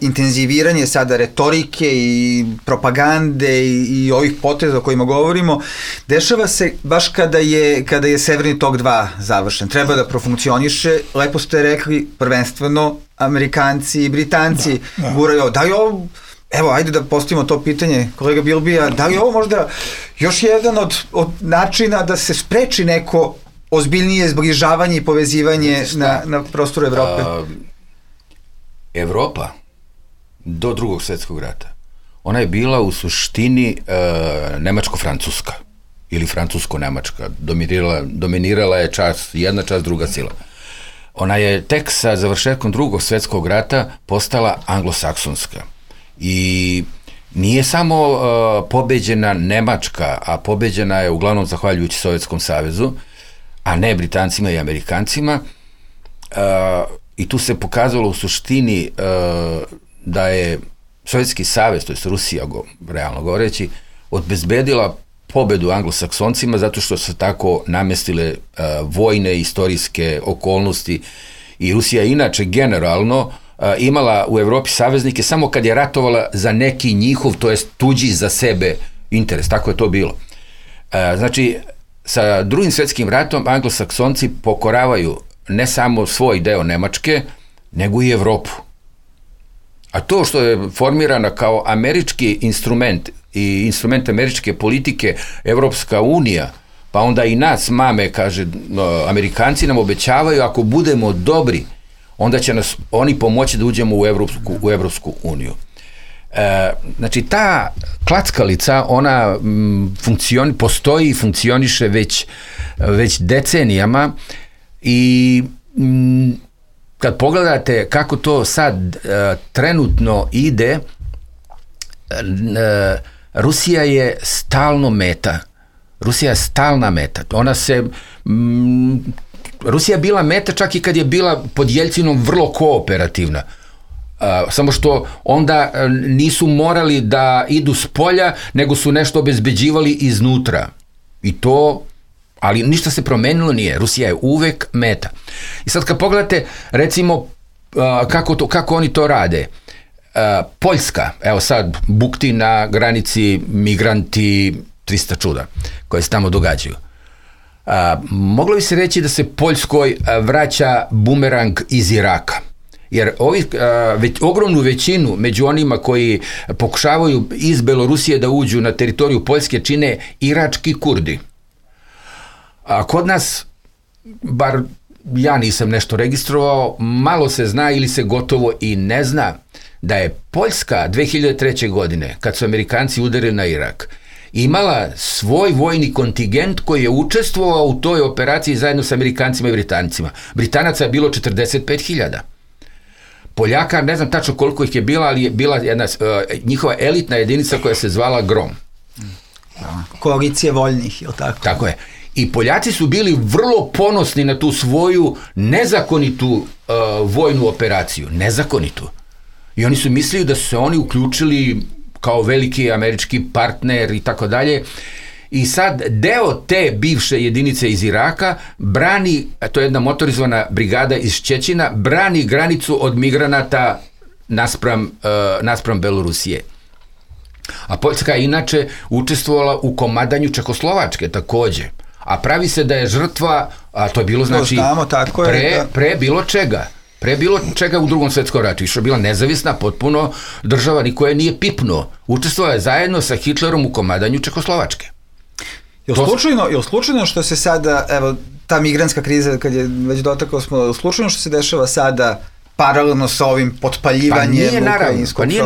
intenziviranje sada retorike i propagande i ovih poteza o kojima govorimo, dešava se baš kada je Severni tok 2 završen. Treba da profunkcioniše, lepo ste rekli, prvenstveno Amerikanci i Britanci guraju, da je ovo... Evo, ajde da postavimo to pitanje, kolega Bilbija, da li je ovo možda još jedan od načina da se spreči neko ozbiljnije zbližavanje i povezivanje na prostoru Evrope? Evropa do Drugog svjetskog rata, ona je bila u suštini nemačko-francuska ili francusko-nemačka, dominirala je jedna čast, druga sila. Ona je tek sa završetkom Drugog svjetskog rata postala anglosaksonska. I nije samo pobeđena Nemačka, a pobeđena je uglavnom zahvaljujući Sovjetskom savezu, a ne Britancima i Amerikancima, i tu se pokazalo u suštini da je Sovjetski savez, to je Rusija, realno govoreći, obezbedila pobedu anglosaksoncima zato što su tako namestile vojne istorijske okolnosti I Rusija inače generalno imala u Evropi saveznike samo kad je ratovala za neki njihov, to jest tuđi za sebe interes, tako je to bilo. Znači, sa Drugim svjetskim ratom anglosaksonci pokoravaju ne samo svoj deo Nemačke, nego i Evropu. A to što je formirana kao američki instrument i instrument američke politike Evropska unija, pa onda i nas mame, kaže, Amerikanci nam obećavaju ako budemo dobri, onda će nas oni pomoći da uđemo u Evropsku uniju. Znači, ta klackalica, ona postoji i funkcioniše već decenijama i kad pogledate kako to sad trenutno ide, Rusija je stalno meta. Rusija je stalna meta. Rusija je bila meta čak i kad je bila pod Jeljcinom vrlo kooperativna. Samo što onda nisu morali da idu s polja, nego su nešto obezbeđivali iznutra. I to, ali ništa se promenilo nije. Rusija je uvek meta. I sad kad pogledate, recimo, kako oni to rade. Poljska, evo sad, bukti na granici, migranti, 300 čuda koje se tamo događaju. Moglo bi se reći da se Poljskoj vraća bumerang iz Iraka. Jer ogromnu većinu među onima koji pokušavaju iz Belorusije da uđu na teritoriju Poljske čine irački Kurdi. A kod nas, bar ja nisam nešto registrovao, malo se zna ili se gotovo i ne zna da je Poljska 2003. godine, kad su Amerikanci udarili na Irak, imala svoj vojni kontingent koji je učestvovao u toj operaciji zajedno sa Amerikancima i Britancima. Britanaca je bilo 45.000. Poljaka, ne znam tačno koliko ih je bila, ali je bila jedna njihova elitna jedinica koja se zvala Grom. Koalicije voljnih, je li tako? Tako je. I Poljaci su bili vrlo ponosni na tu svoju nezakonitu vojnu operaciju. Nezakonitu. I oni su mislili da su se oni uključili kao veliki američki partner i tako dalje. I sad deo te bivše jedinice iz Iraka brani, to je jedna motorizovana brigada iz Ščećina, brani granicu od migranata naspram Belorusije. A Poljska je inače učestvovala u komadanju Čekoslovačke takođe. A pravi se da je žrtva, a to je bilo znači pre bilo čega. Pre bilo čega u Drugom svjetskom ratu. Išla je bila nezavisna potpuno država, niko je nije pipnuo. Učestvovala je zajedno sa Hitlerom u komadanju Čekoslovačke. Je li slučajno što se sada, evo, ta migrantska kriza, kad je već dotakao smo, slučajno što se dešava sada paralelno sa ovim potpaljivanjem ukrajinskog fronta?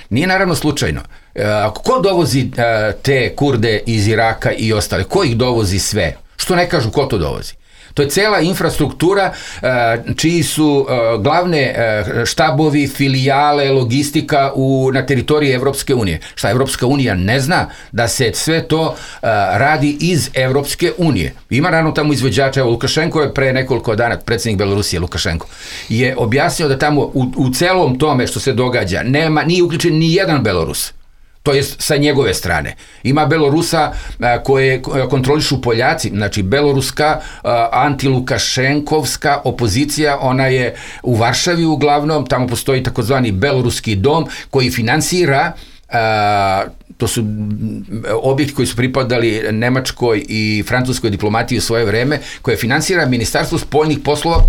Nije naravno slučajno. Ko dovozi te Kurde iz Iraka i ostale? Ko ih dovozi sve? Što ne kažu ko to dovozi? To je cela infrastruktura čiji su glavne štabovi, filijale, logistika na teritoriji Evropske unije. Šta Evropska unija ne zna da se sve to radi iz Evropske unije. Ima naravno tamo izvođača, evo Lukašenko je pre nekoliko dana, predsjednik Belorusije Lukašenko, je objasnio da tamo u celom tome što se događa nije uključen ni jedan Belorus. To je sa njegove strane. Ima Belorusa koje kontrolišu Poljaci, znači beloruska antilukašenkovska opozicija, ona je u Varšavi uglavnom, tamo postoji takozvani Beloruski dom koji finansira, to su objekti koji su pripadali nemačkoj i francuskoj diplomatiji u svoje vreme, koje finansira Ministarstvo spoljnih poslova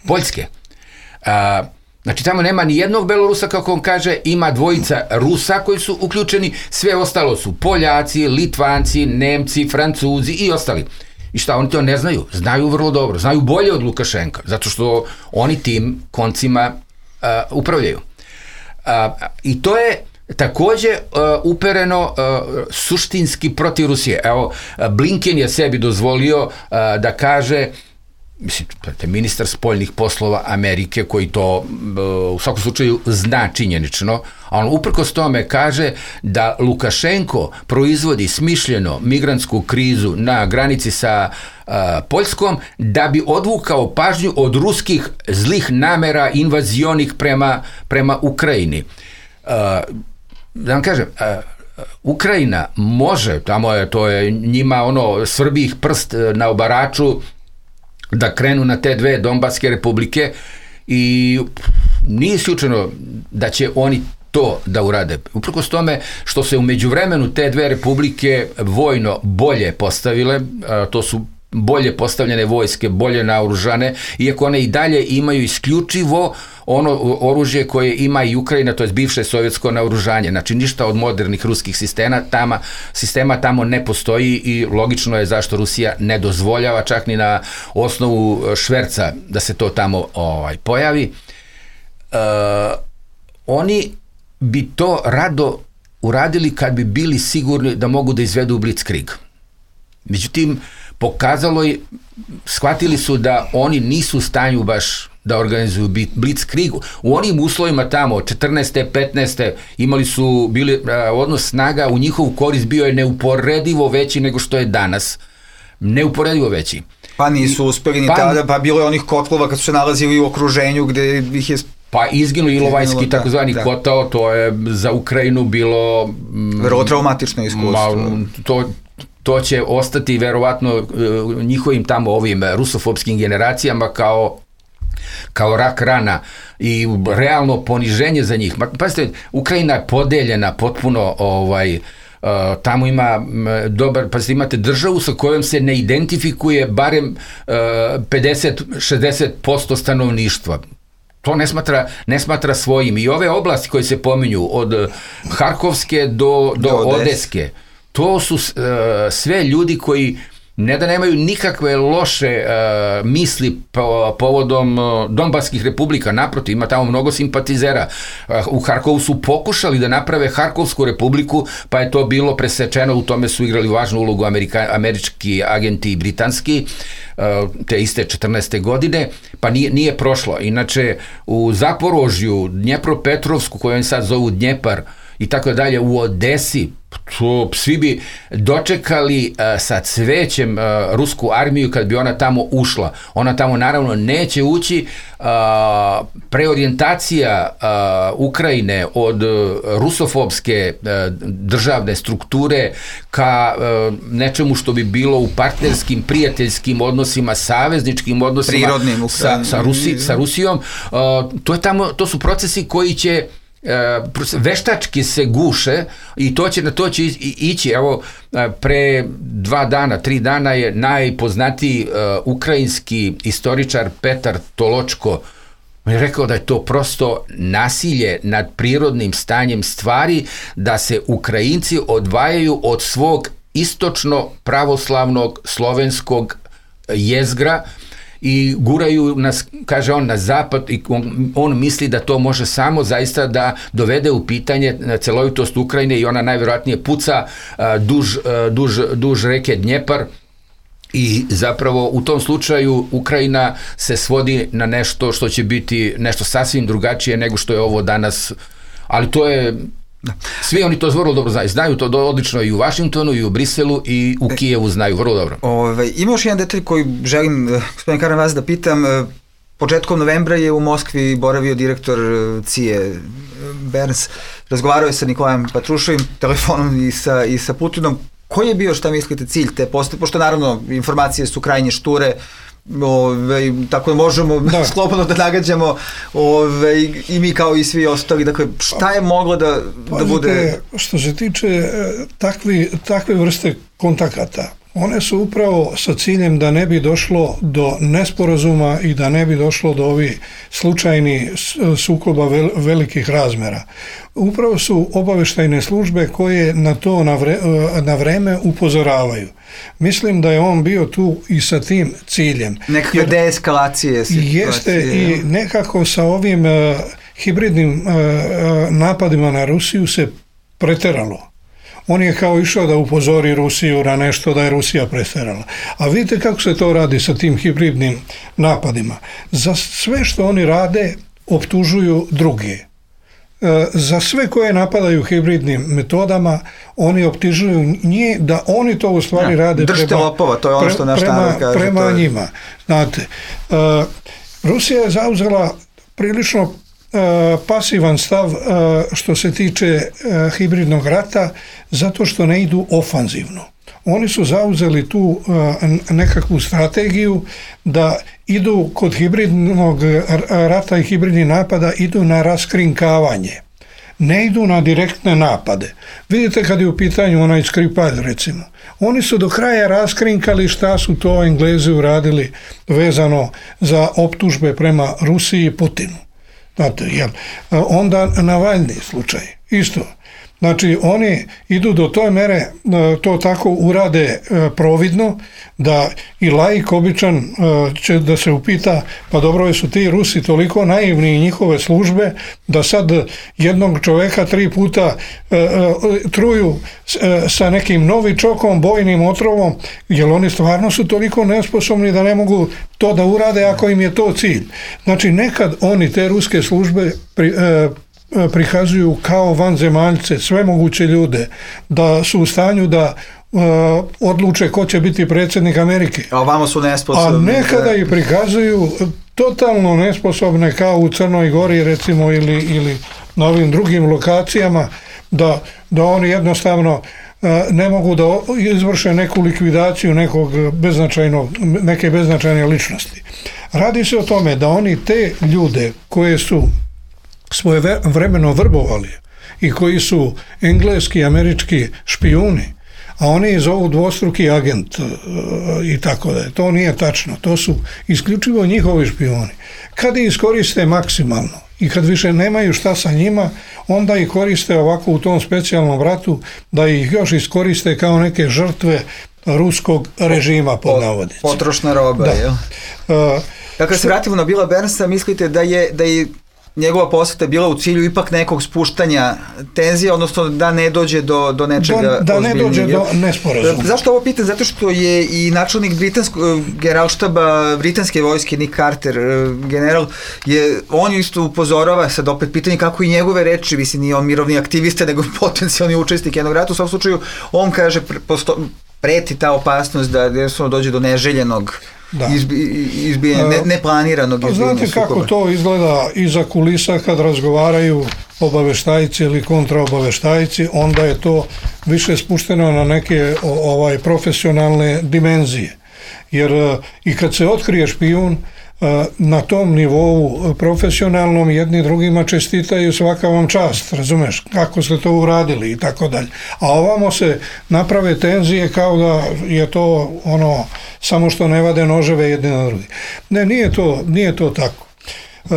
Poljske. Znači, tamo nema ni jednog Belorusa, kako on kaže, ima dvojica Rusa koji su uključeni, sve ostalo su Poljaci, Litvanci, Nemci, Francuzi i ostali. I šta, oni to ne znaju? Znaju vrlo dobro, znaju bolje od Lukašenka, zato što oni tim koncima upravljaju. I to je takođe upereno suštinski protiv Rusije. Evo, Blinken je sebi dozvolio da kaže, mislim, ministar spoljnih poslova Amerike, koji to u svakom slučaju zna činjenično, a on uprkos tome kaže da Lukašenko proizvodi smišljeno migrantsku krizu na granici sa Poljskom da bi odvukao pažnju od ruskih zlih namera invazionih prema Ukrajini. Da vam kažem, Ukrajina može, tamo je, to je njima svrbi ih prst na obaraču da krenu na te dve Donbaske republike i nije isključeno da će oni to da urade. Uprkos tome što se u međuvremenu te dve republike vojno bolje postavile, to su bolje postavljene vojske, bolje naoružane, iako one i dalje imaju isključivo ono oružje koje ima i Ukrajina, to je bivše sovjetsko naoružanje. Znači ništa od modernih ruskih sistema tamo ne postoji i logično je zašto Rusija ne dozvoljava čak ni na osnovu šverca da se to tamo pojavi. Oni bi to rado uradili kad bi bili sigurni da mogu da izvedu Blitzkrieg. Međutim, shvatili su da oni nisu u stanju baš da organizuju Blitzkrieg. U onim uslovima tamo, 14. 15. bili odnos snaga u njihovu korist bio je neuporedivo veći nego što je danas. Neuporedivo veći. Pa nisu uspeli ni tada, pa bilo je onih kotlova kad su se nalazili u okruženju gde ih je... Pa izginu Ilovajski takozvani kotao, to je za Ukrajinu bilo... Vrlo traumatično iskustvo. To će ostati verovatno njihovim tamo ovim rusofobskim generacijama kao rak rana i realno poniženje za njih. Pazite, Ukrajina je podeljena potpuno, tamo ima imate državu sa kojom se ne identifikuje barem 50-60% stanovništva. To ne smatra svojim. I ove oblasti koje se pominju od Harkovske do Odeske, to su sve ljudi koji ne da nemaju nikakve loše misli povodom Donbaskih republika, naprotiv, ima tamo mnogo simpatizera. U Harkovu su pokušali da naprave Harkovsku republiku, pa je to bilo presečeno, u tome su igrali važnu ulogu američki agenti i britanski, te iste 14. godine, pa nije prošlo. Inače, u Zaporožju, Dnjepropetrovsku, koju oni sad zovu Dnjepar, i tako dalje, u Odesi, svi bi dočekali sa cvećem rusku armiju kad bi ona tamo ušla. Ona tamo naravno neće ući. Preorijentacija Ukrajine od rusofobske državne strukture ka nečemu što bi bilo u partnerskim, prijateljskim odnosima, savezničkim odnosima sa Rusijom, to su procesi koji će veštački se guše i na to će ići. Evo, pre 2 dana, 3 dana je najpoznatiji ukrajinski istoričar Petar Toločko je rekao da je to prosto nasilje nad prirodnim stanjem stvari, da se Ukrajinci odvajaju od svog istočno pravoslavnog slovenskog jezgra i guraju nas, kaže on, na zapad i on misli da to može samo zaista da dovede u pitanje celovitost Ukrajine i ona najvjerojatnije puca duž reke Dnjepar i zapravo u tom slučaju Ukrajina se svodi na nešto što će biti nešto sasvim drugačije nego što je ovo danas, ali to je... Svi oni to vrlo dobro znaju to odlično i u Vašingtonu i u Briselu i u Kijevu znaju vrlo dobro. Ima još jedan detalj koji želim, gospodin Karan, vas da pitam. Početkom novembra je u Moskvi boravio direktor CIA Burns, razgovarao je sa Nikolajem Patruševim telefonom i sa Putinom. Koji je bio, šta mislite, cilj te postoje? Pošto naravno informacije su krajnje šture, tako da možemo slobodno da nagađamo i mi kao i svi ostali. Dakle, šta je moglo da bude... Što se tiče takve vrste kontakata, one su upravo sa ciljem da ne bi došlo do nesporazuma i da ne bi došlo do ovih slučajnih sukoba velikih razmera. Upravo su obaveštajne službe koje na to na vreme upozoravaju. Mislim da je on bio tu i sa tim ciljem. Nekakve deeskalacije situacije. Jeste i nekako sa ovim hibridnim napadima na Rusiju se preteralo. On je kao išao da upozori Rusiju na nešto, da je Rusija preterala. A vidite kako se to radi sa tim hibridnim napadima. Za sve što oni rade optužuju druge. Za sve koje napadaju hibridnim metodama, oni optužuju njih da oni to u stvari rade prema njima. Znate, Rusija je zauzela prilično pasivan stav što se tiče hibridnog rata, zato što ne idu ofanzivno. oni su zauzeli tu nekakvu strategiju da idu kod hibridnog rata i hibridnih napada, idu na raskrinkavanje. Ne idu na direktne napade. Vidite kad je u pitanju onaj Skripal, recimo. Oni su do kraja raskrinkali šta su to Englezi uradili vezano za optužbe prema Rusiji i Putinu. Znate, onda Navalni slučaj, isto. Znači, oni idu do toj mere, to tako urade providno, da i laik običan će da se upita, pa dobro, su ti Rusi toliko naivni i njihove službe, da sad jednog čoveka 3 puta truju sa nekim novičokom, bojnim otrovom, jer oni stvarno su toliko nesposobni da ne mogu to da urade ako im je to cilj. Znači, nekad oni, te ruske službe, prikazuju kao vanzemaljce, sve moguće ljude, da su u stanju da odluče ko će biti predsjednik Amerike. A ovamo su nesposobni. A nekada ih prikazuju totalno nesposobne, kao u Crnoj Gori, recimo, ili na ovim drugim lokacijama, da oni jednostavno ne mogu da izvrše neku likvidaciju neke beznačajne ličnosti. Radi se o tome da oni te ljude koje su svoje vremeno vrbovali i koji su engleski i američki špijuni, a oni zovu dvostruki agent i tako da. To nije tačno. To su isključivo njihovi špijuni. Kad ih iskoriste maksimalno i kad više nemaju šta sa njima, onda ih koriste ovako u tom specijalnom ratu, da ih još iskoriste kao neke žrtve ruskog režima, pod navodnicima. Potrošna roba, jel? Dakle, se vratimo na Billa Burnsa, mislite da je njegova posjeta bila u cilju ipak nekog spuštanja tenzije, odnosno da ne dođe do nečega ozbiljnijeg. Da ne dođe do nesporazuma. Zašto ovo pitam? Zato što je i načelnik generalštaba britanske vojske, Nick Carter, general, on isto upozorava, sad opet pitanje kako i njegove reči, mislim, nije on mirovni aktivista, nego potencijalni učesnik jednog rata. U svakom slučaju, on kaže, preti ta opasnost da jednostavno dođe do neželjenog izbijanja, neplaniranog izbijanja sukoba. Znate kako to izgleda iza kulisa kad razgovaraju obaveštajci ili kontraobaveštajci, onda je to više spušteno na neke profesionalne dimenzije. Jer i kad se otkrije špijun, na tom nivou profesionalnom jedni drugima čestitaju, svaka vam čast, razumeš, kako ste to uradili i tako dalje. A ovamo se naprave tenzije kao da je to samo što ne vade noževe jedni na drugi. Ne, nije to tako.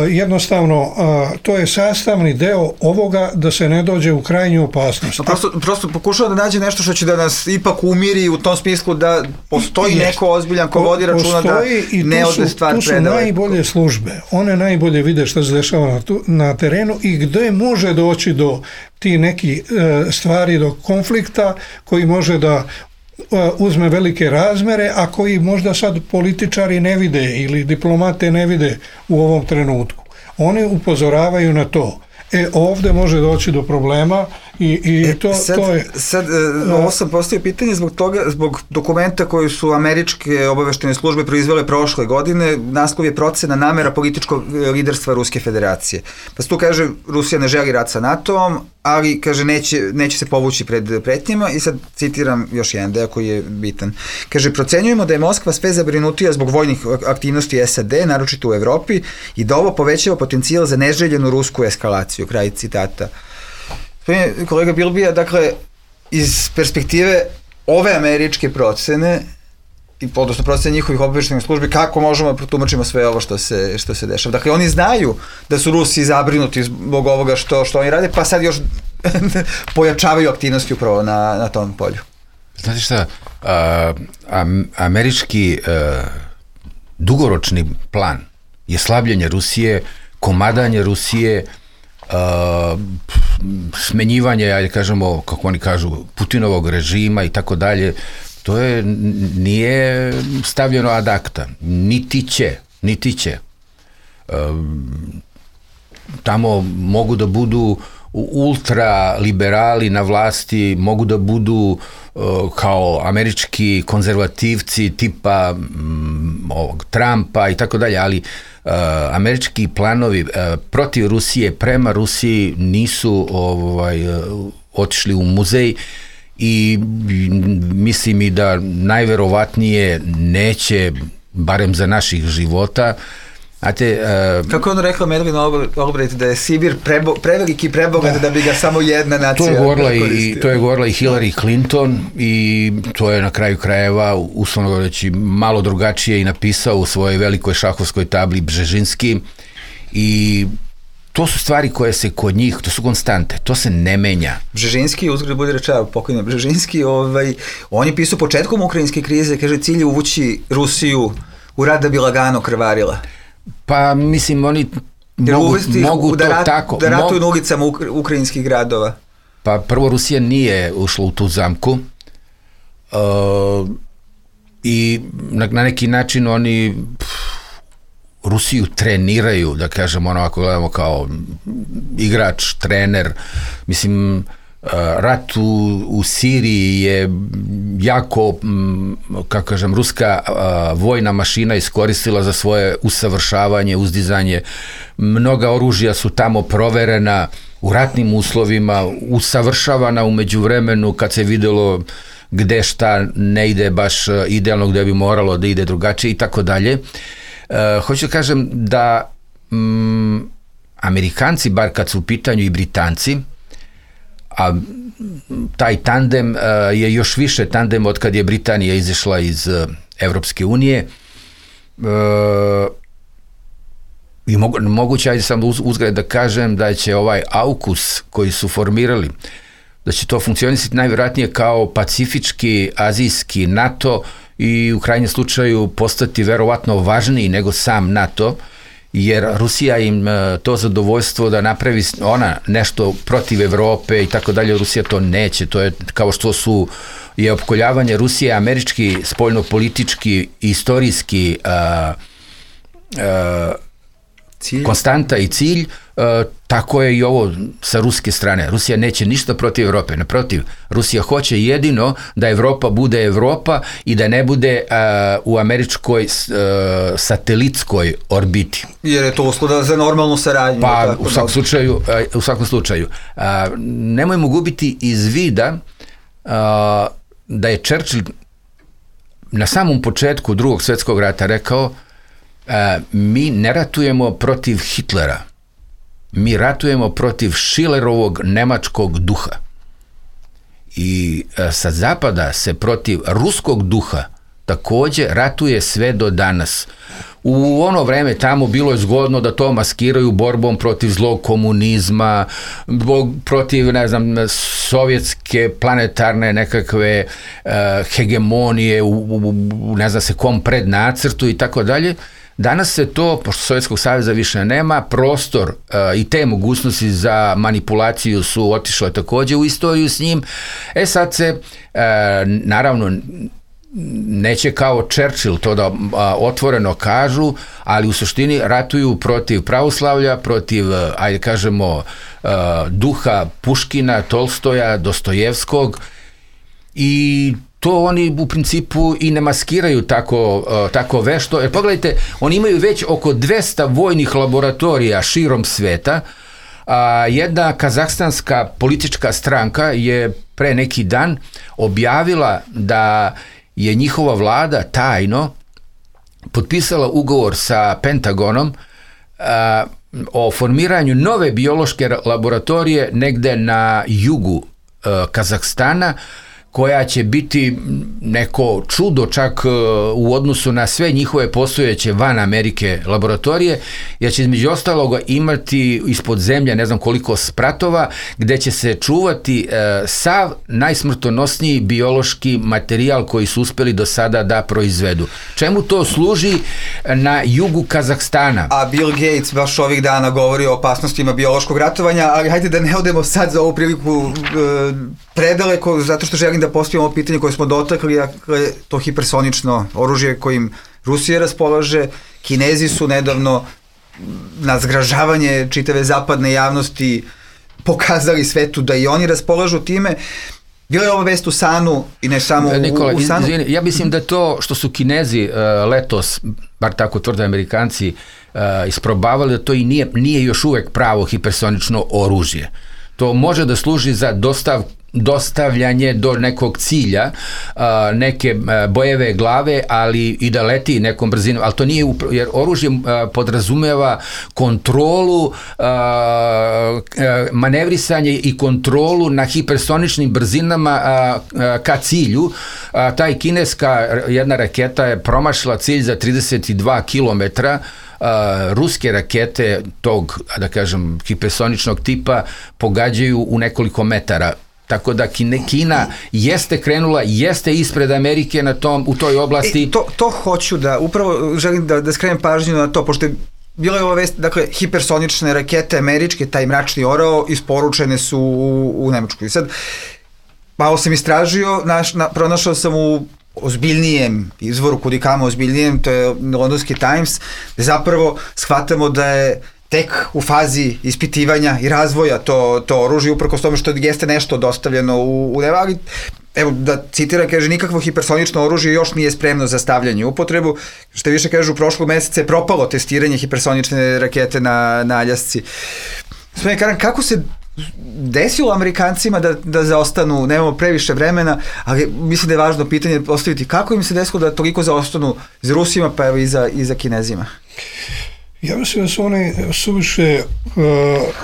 Jednostavno, to je sastavni deo ovoga da se ne dođe u krajnju opasnost. Prosto pokušava da nađe nešto što će da nas ipak umiri u tom smislu da postoji neko ozbiljan ko vodi računa da ne ode stvar predaleko. Tu su najbolje službe. One najbolje vide što se dešava na terenu i gdje može doći do ti neki stvari, do konflikta koji može da uzme velike razmere, a koji možda sad političari ne vide ili diplomate ne vide u ovom trenutku. Oni upozoravaju na to. Ovdje može doći do problema i to je... Sad, ovo sam postavio pitanje zbog dokumenta koji su američke obaveštene službe proizvele prošle godine. Naslov je procena namera političkog liderstva Ruske federacije. Pa se tu kaže, Rusija ne želi rat sa NATO-om, ali, kaže, neće se povući pred pretnjama, i sad citiram još jedan deo koji je bitan. Kaže, procenjujemo da je Moskva sve zabrinutija zbog vojnih aktivnosti SAD, naročito u Evropi, i da ovo povećava potencijal za neželjenu rusku eskalaciju. Kraj citata. Kolega Bilbija, dakle, iz perspektive ove američke procene, odnosno procene njihovih obaveštajnih službi, kako možemo da protumačimo sve ovo što se dešava? Dakle, oni znaju da su Rusi zabrinuti zbog ovoga što oni rade, pa sad još pojačavaju aktivnosti upravo na tom polju. Znate šta, američki dugoročni plan je slabljenje Rusije, komadanje Rusije, smenjivanje, ajde kažemo, kako oni kažu, Putinovog režima i tako dalje. To nije stavljeno ad acta, niti će. Tamo mogu da budu ultraliberali na vlasti, mogu da budu kao američki konzervativci tipa Trumpa i tako dalje, ali američki planovi protiv Rusije, prema Rusiji nisu otišli u muzej i mislim i da najverovatnije neće, barem za naših života. Kako je ono rekla Madeleine Albright, da je Sibir preveliki prebogat da bi ga samo jedna nacija koristila. To je govorila i Hillary Clinton i to je na kraju krajeva, uslovno govoreći, malo drugačije i napisao u svojoj velikoj šahovskoj tabli Bžežinski, i to su stvari koje se kod njih, to su konstante, to se ne menja. Bžežinski, uzgled bude rečava, pokojno Bžežinski, on je pisao početkom ukrajinske krize, kaže, cilj je uvući Rusiju u rat da bi lagano krvarila. Pa mislim, oni mogu to tako. Da ratuju na ulicama ukrajinskih gradova. Pa prvo, Rusija nije ušla u tu zamku i na neki način oni Rusiju treniraju, da kažem, ono, ako gledamo kao igrač, trener, mislim, rat u Siriji je jako, kako kažem, ruska vojna mašina iskoristila za svoje usavršavanje, uzdizanje. Mnoga oružja su tamo proverena u ratnim uslovima, usavršavana u međuvremenu kad se videlo gde šta ne ide baš idealno, gde bi moralo da ide drugačije i tako dalje. Hoću da kažem da Amerikanci, bar kad su u pitanju i Britanci, a taj tandem je još više tandem od kad je Britanija izašla iz Evropske unije, i moguće, ajde sam uzgled da kažem, da će ovaj AUKUS koji su formirali, da će to funkcionisati najvjerojatnije kao pacifički, azijski NATO i u krajnjem slučaju postati verovatno važniji nego sam NATO, jer Rusija im to zadovoljstvo da napravi ona nešto protiv Evrope i tako dalje, Rusija to neće. To je kao što je opkoljavanje Rusije američki, spoljno-politički, istorijski konstanta i cilj, tako je i ovo sa ruske strane. Rusija neće ništa protiv Evrope, naprotiv, Rusija hoće jedino da Evropa bude Evropa i da ne bude u američkoj satelitskoj orbiti. Jer je to uslova za normalnu saradnju. Pa u svakom slučaju. Nemojmo gubiti iz vida da je Churchill na samom početku Drugog svjetskog rata rekao: mi ne ratujemo protiv Hitlera, mi ratujemo protiv Schillerovog nemačkog duha. I sa zapada se protiv ruskog duha takođe ratuje sve do danas. U ono vreme tamo bilo je zgodno da to maskiraju borbom protiv zlog komunizma, protiv, ne znam, sovjetske planetarne nekakve hegemonije u ne znam se kom prednacrtu i tako dalje. Danas se to, pošto Sovjetskog saveza više nema, prostor i te mogućnosti za manipulaciju su otišle takođe u istoriju s njim. Sad se, naravno, neće kao Churchill to da otvoreno kažu, ali u suštini ratuju protiv pravoslavlja, protiv, ajde kažemo, duha Puškina, Tolstoja, Dostojevskog, i to oni u principu i ne maskiraju tako vešto. Jer pogledajte, oni imaju već oko 200 vojnih laboratorija širom sveta. Jedna kazahstanska politička stranka je pre neki dan objavila da je njihova vlada tajno potpisala ugovor sa Pentagonom o formiranju nove biološke laboratorije negde na jugu Kazahstana, koja će biti neko čudo čak u odnosu na sve njihove postojeće van Amerike laboratorije, jer će između ostaloga imati ispod zemlje ne znam koliko spratova, gde će se čuvati sav najsmrtonosniji biološki materijal koji su uspeli do sada da proizvedu. Čemu to služi na jugu Kazahstana? A Bill Gates baš ovih dana govori o opasnostima biološkog ratovanja, ali hajde da ne odemo sad za ovu priliku predaleko, zato što želim da postavimo pitanje koje smo dotakli, dakle, to hipersonično oružje kojim Rusija raspolaže. Kinezi su nedavno na zgražavanje čitave zapadne javnosti pokazali svetu da i oni raspolažu time. Bila je ova vest u Sanu i ne samo Nikola, u Sanu. Izvini, ja mislim da to što su Kinezi letos, bar tako tvrde Amerikanci, isprobavali, da to i nije još uvek pravo hipersonično oružje. To može da služi za dostavljanje do nekog cilja, neke bojeve glave, ali i da leti nekom brzinom, ali to nije, jer oružje podrazumeva kontrolu, manevrisanje i kontrolu na hipersoničnim brzinama ka cilju. Taj kineska jedna raketa je promašila cilj za 32 kilometra, ruske rakete tog, da kažem, hipersoničnog tipa pogađaju u nekoliko metara. Tako da Kina jeste krenula, jeste ispred Amerike u toj oblasti. To hoću da, upravo želim da skrenem pažnju na to, pošto je bilo je ova vest, dakle, hipersonične rakete američke, taj mračni orao, isporučene su u Nemačku. I sad, malo sam istražio, pronašao sam u ozbiljnijem izvoru, kudikamo ozbiljnijem, to je Londonski Times, gde zapravo shvatamo da je tek u fazi ispitivanja i razvoja to oružje, uprkos tome što jeste nešto dostavljeno u Nemačku, ali evo da citiram, kaže, nikakvo hipersonično oružje još nije spremno za stavljanje u upotrebu, što više kažu, prošlog meseca je propalo testiranje hipersonične rakete na Aljasci. Gospodine Karan, kako se desilo Amerikancima da zaostanu, nemamo previše vremena, ali mislim da je važno pitanje postaviti, kako im se desilo da toliko zaostanu za Rusima, pa evo i za Kinezima? Ja mislim da su oni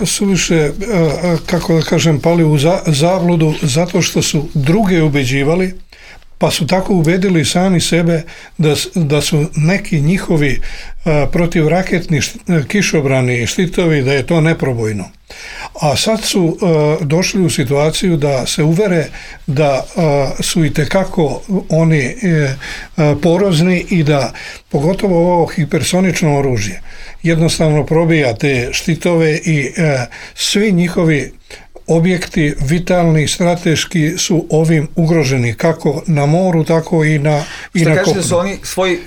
suviše, kako da kažem, pali u zabludu zato što su druge ubeđivali, pa su tako ubedili sami sebe da su neki njihovi protivraketni kišobrani i štitovi, da je to neprobojno. A sad su došli u situaciju da se uvere da su itekako oni porozni i da pogotovo ovo hipersonično oružje jednostavno probija te štitove i svi njihovi objekti vitalni, strateški su ovim ugroženi, kako na moru, tako i na kopnu. Što kažete da su oni svoj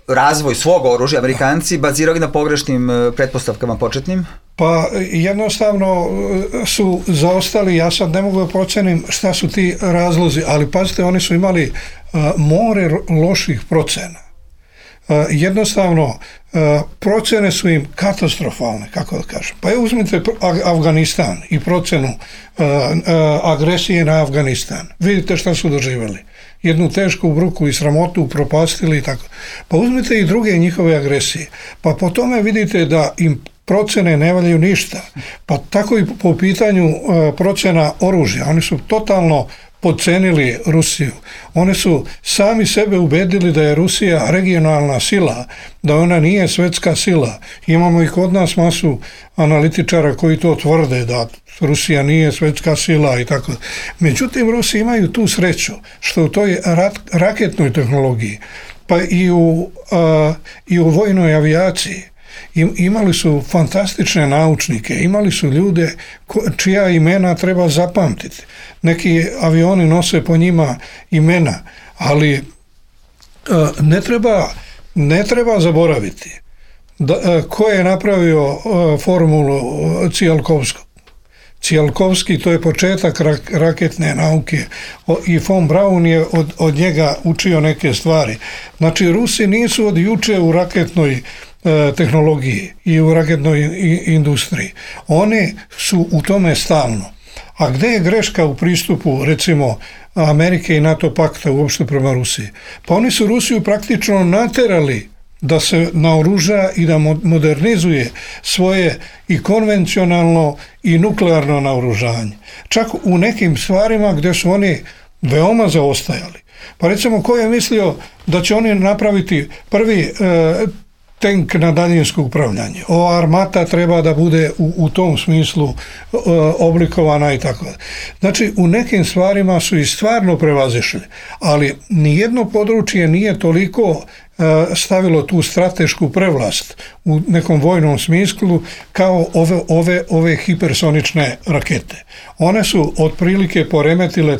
razvoj svog oružja, Amerikanci, bazirali na pogrešnim pretpostavkama početnim? Pa jednostavno su zaostali, ja sad ne mogu da procenim šta su ti razlozi, ali pazite, oni su imali more loših procena. Jednostavno, procene su im katastrofalne, kako da kažem. Pa uzmite Afganistan i procenu agresije na Afganistan. Vidite šta su doživjeli. Jednu tešku bruku i sramotu propastili i tako. Pa uzmite i druge njihove agresije. Pa po tome vidite da im procene ne valjaju ništa. Pa tako i po pitanju procena oružja. Oni su totalno podcenili Rusiju. Oni su sami sebe ubedili da je Rusija regionalna sila, da ona nije svetska sila. Imamo i kod nas masu analitičara koji to tvrde, da Rusija nije svetska sila i tako. Međutim, Rusi imaju tu sreću što u toj raketnoj tehnologiji, pa i u vojnoj avijaciji, imali su fantastične naučnike, imali su ljude čija imena treba zapamtiti. Neki avioni nose po njima imena, ali ne treba zaboraviti ko je napravio formulu Tsiolkovskog. Tsiolkovski, to je početak raketne nauke i von Braun je od njega učio neke stvari. Znači, Rusi nisu od juče u raketnoj tehnologiji i u raketnoj industriji. One su u tome stalno. A gde je greška u pristupu, recimo, Amerike i NATO pakta uopšte prema Rusiji? Pa oni su Rusiju praktično naterali da se naoruža i da modernizuje svoje i konvencionalno i nuklearno naoružanje. Čak u nekim stvarima gde su oni veoma zaostajali. Pa recimo, ko je mislio da će oni napraviti prvi tank na daljinsko upravljanje? Ova armata treba da bude u tom smislu oblikovana i tako. Znači, u nekim stvarima su i stvarno prevazišli, ali nijedno područje nije toliko stavilo tu stratešku prevlast u nekom vojnom smislu kao ove hipersonične rakete. One su otprilike poremetile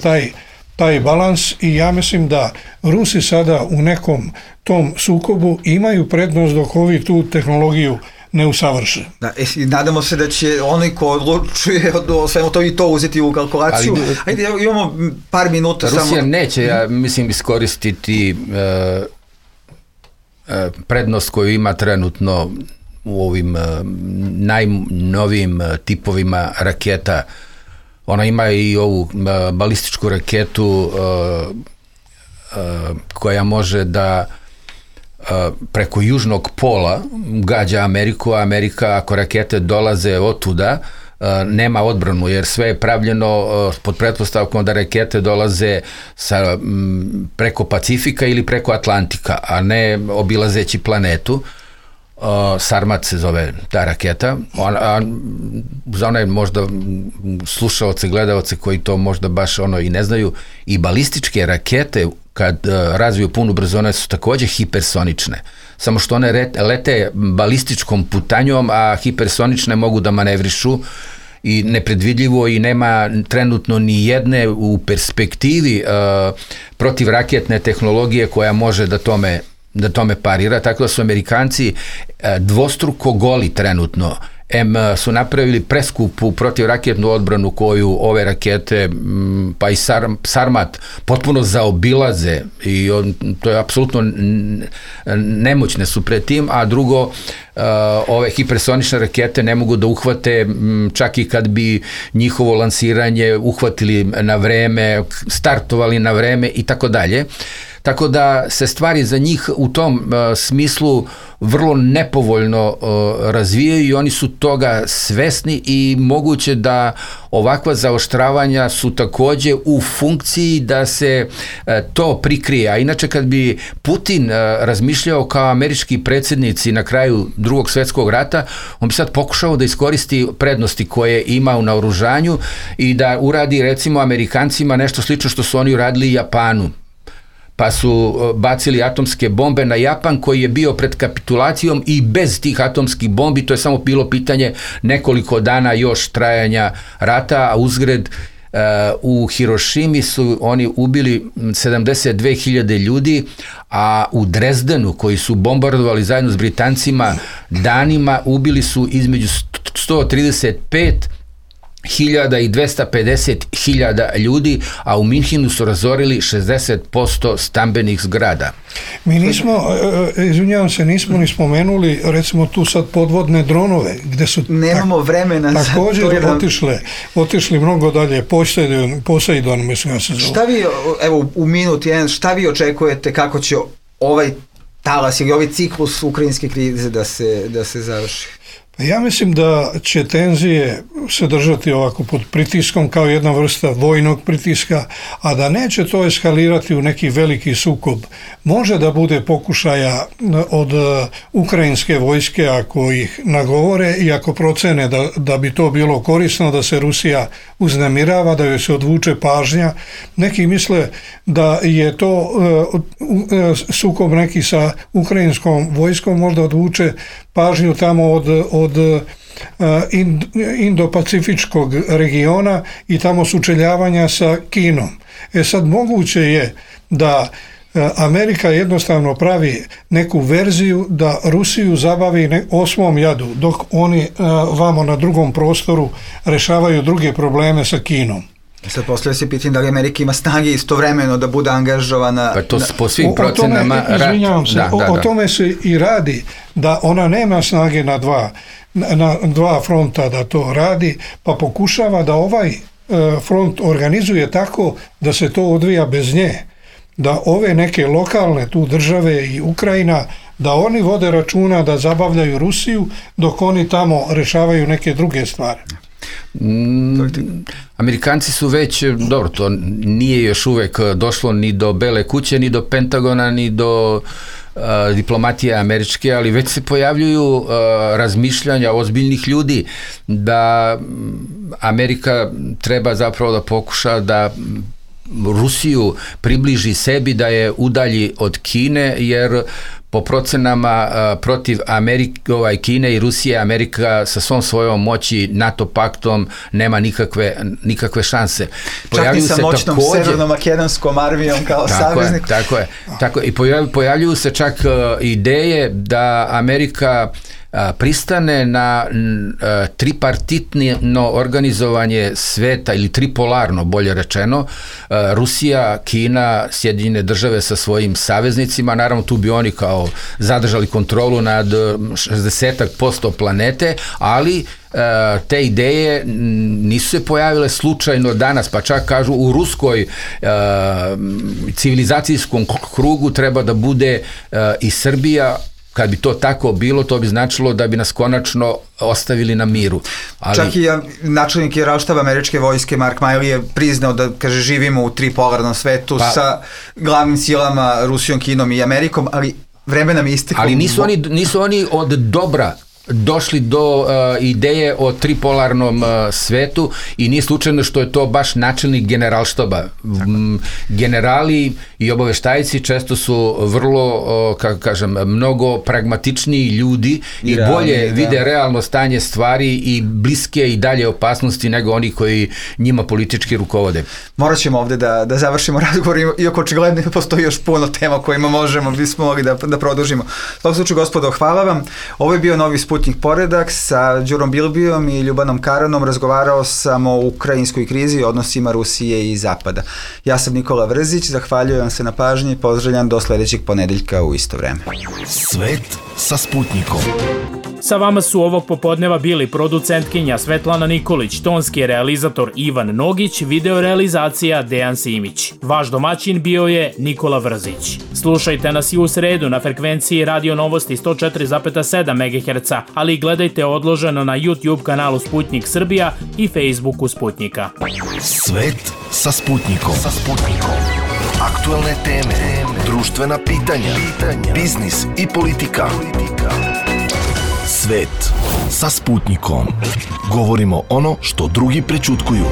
taj balans i ja mislim da Rusi sada u nekom tom sukobu imaju prednost dok ovi tu tehnologiju ne usavrše. Da, nadamo se da će onaj ko odlučuje o svemu to i to uzeti u kalkulaciju. Ajde, imamo par minuta. Rusija neće, ja mislim, iskoristiti prednost koju ima trenutno u ovim najnovijim tipovima raketa Ona ima i ovu balističku raketu koja može da preko južnog pola gađa Ameriku, a Amerika, ako rakete dolaze otuda, nema odbranu, jer sve je pravljeno pod pretpostavkom da rakete dolaze preko Pacifika ili preko Atlantika, a ne obilazeći planetu. Sarmat se zove ta raketa. Za one možda slušaoce, gledaoce koji to možda baš i ne znaju, i balističke rakete kad razviju punu brzinu su takođe hipersonične. Samo što one lete balističkom putanjom, a hipersonične mogu da manevrišu i nepredvidljivo, i nema trenutno ni jedne u perspektivi protivraketne tehnologije koja može da tome parira, tako da su Amerikanci dvostruko goli trenutno. Su napravili preskupu protivraketnu odbranu koju ove rakete, pa i Sarmat, potpuno zaobilaze, i to je apsolutno nemoćne su pred tim, a drugo, ove hipersonične rakete ne mogu da uhvate, čak i kad bi njihovo lansiranje uhvatili na vreme, startovali na vreme i tako dalje. Tako da se stvari za njih u tom smislu vrlo nepovoljno razvijaju i oni su toga svesni, i moguće da ovakva zaoštravanja su takođe u funkciji da se to prikrije. A inače, kad bi Putin razmišljao kao američki predsjednici na kraju Drugog svjetskog rata, on bi sad pokušao da iskoristi prednosti koje ima u naoružanju i da uradi, recimo, Amerikancima nešto slično što su oni uradili Japanu. Pa su bacili atomske bombe na Japan, koji je bio pred kapitulacijom, i bez tih atomskih bombi to je samo bilo pitanje nekoliko dana još trajanja rata, a uzgred u Hirošimi su oni ubili 72.000 ljudi, a u Drezdenu, koji su bombardovali zajedno s Britancima danima, ubili su između 135.000 i 250.000 ljudi, a u Minhenu su razorili 60% stambenih zgrada. Mi nismo, izvinjavam se, nismo ni spomenuli, recimo, tu sad podvodne dronove, gde su nemamo vremena također otišli mnogo dalje. Poseidon, mislim, ja se zove. Šta vi, evo, u minut jedan, šta vi očekujete kako će ovaj talas ili ovaj ciklus ukrajinske krize da se završi? Ja mislim da će tenzije se držati ovako pod pritiskom kao jedna vrsta vojnog pritiska, a da neće to eskalirati u neki veliki sukob. Može da bude pokušaja od ukrajinske vojske, ako ih nagovore i ako procene da bi to bilo korisno, da se Rusija uznemirava, da joj se odvuče pažnja. Neki misle da je to sukob neki sa ukrajinskom vojskom, možda odvuče pažnju tamo od Indo-Pacifičkog regiona i tamo sučeljavanja sa Kinom. Sad moguće je da Amerika jednostavno pravi neku verziju da Rusiju zabavi osmom jadu, dok oni vamo na drugom prostoru rešavaju druge probleme sa Kinom. Sad poslije se pitam da li Amerika ima snage istovremeno da bude angažovana. Pa to po svim procenama izvinjavam se, o tome se i radi, da ona nema snage na dva fronta da to radi, pa pokušava da ovaj front organizuje tako da se to odvija bez nje. Da ove neke lokalne tu države i Ukrajina, da oni vode računa da zabavljaju Rusiju, dok oni tamo rešavaju neke druge stvari. Amerikanci su već, dobro, to nije još uvek došlo ni do Bele kuće, ni do Pentagona, ni do diplomatije američke, ali već se pojavljuju razmišljanja ozbiljnih ljudi da Amerika treba zapravo da pokuša da Rusiju približi sebi, da je udalji od Kine, jer po procenama protiv Kine i Rusije, Amerika sa svom svojom moći, NATO paktom, nema nikakve šanse. Čak i sa moćnom severno-makedonskom armijom kao saveznik. Tako je. I pojavljuju se čak ideje da Amerika pristane na tripartitno organizovanje sveta ili tripolarno, bolje rečeno, Rusija, Kina, Sjedinjene države sa svojim saveznicima, naravno tu bi oni kao zadržali kontrolu nad 60% planete, ali te ideje nisu se pojavile slučajno danas, pa čak kažu u ruskoj civilizacijskom krugu treba da bude i Srbija. Kad bi to tako bilo, to bi značilo da bi nas konačno ostavili na miru. Ali... Čak i načelnik Generalštaba američke vojske Mark Milley je priznao da, kaže, živimo u tripolarnom svetu sa glavnim silama Rusijom, Kinom i Amerikom, ali vreme nam je isteklo. Ali nisu oni od dobra došli do ideje o tripolarnom svetu i nije slučajno što je to baš načelnik Generalštaba. Generali i obaveštajci često su vrlo, kako kažem, mnogo pragmatičniji ljudi i bolje vide realno stanje stvari i bliske i dalje opasnosti nego oni koji njima politički rukovode. Morat ćemo ovde da završimo razgovor, iako očigledno postoji još puno tema kojima bismo mogli da produžimo. U tom slučaju, gospodo, hvala vam. Ovo je bio novi Sputnik Poredak. Sa Đurom Bilbijom i Ljubanom Karanom razgovarao sam o ukrajinskoj krizi i odnosima Rusije i Zapada. Ja sam Nikola Vrzić, zahvaljujem se na pažnji i pozdravljam do sledećeg ponedeljka u isto vreme. Svet sa Sputnikom. Sa vama su ovog popodneva bili producentkinja Svetlana Nikolić, tonski realizator Ivan Nogić, video realizacija Dejan Simić. Vaš domaćin bio je Nikola Vrzić. Slušajte nas i u sredu na frekvenciji Radio Novosti 104,7 MHz, ali gledajte odloženo na YouTube kanalu Sputnik Srbija i Facebooku Sputnika. Svet sa Sputnikom. Aktuelne teme, društvena pitanja, biznis i politika. Svet sa Sputnikom. Govorimo ono što drugi prećutkuju.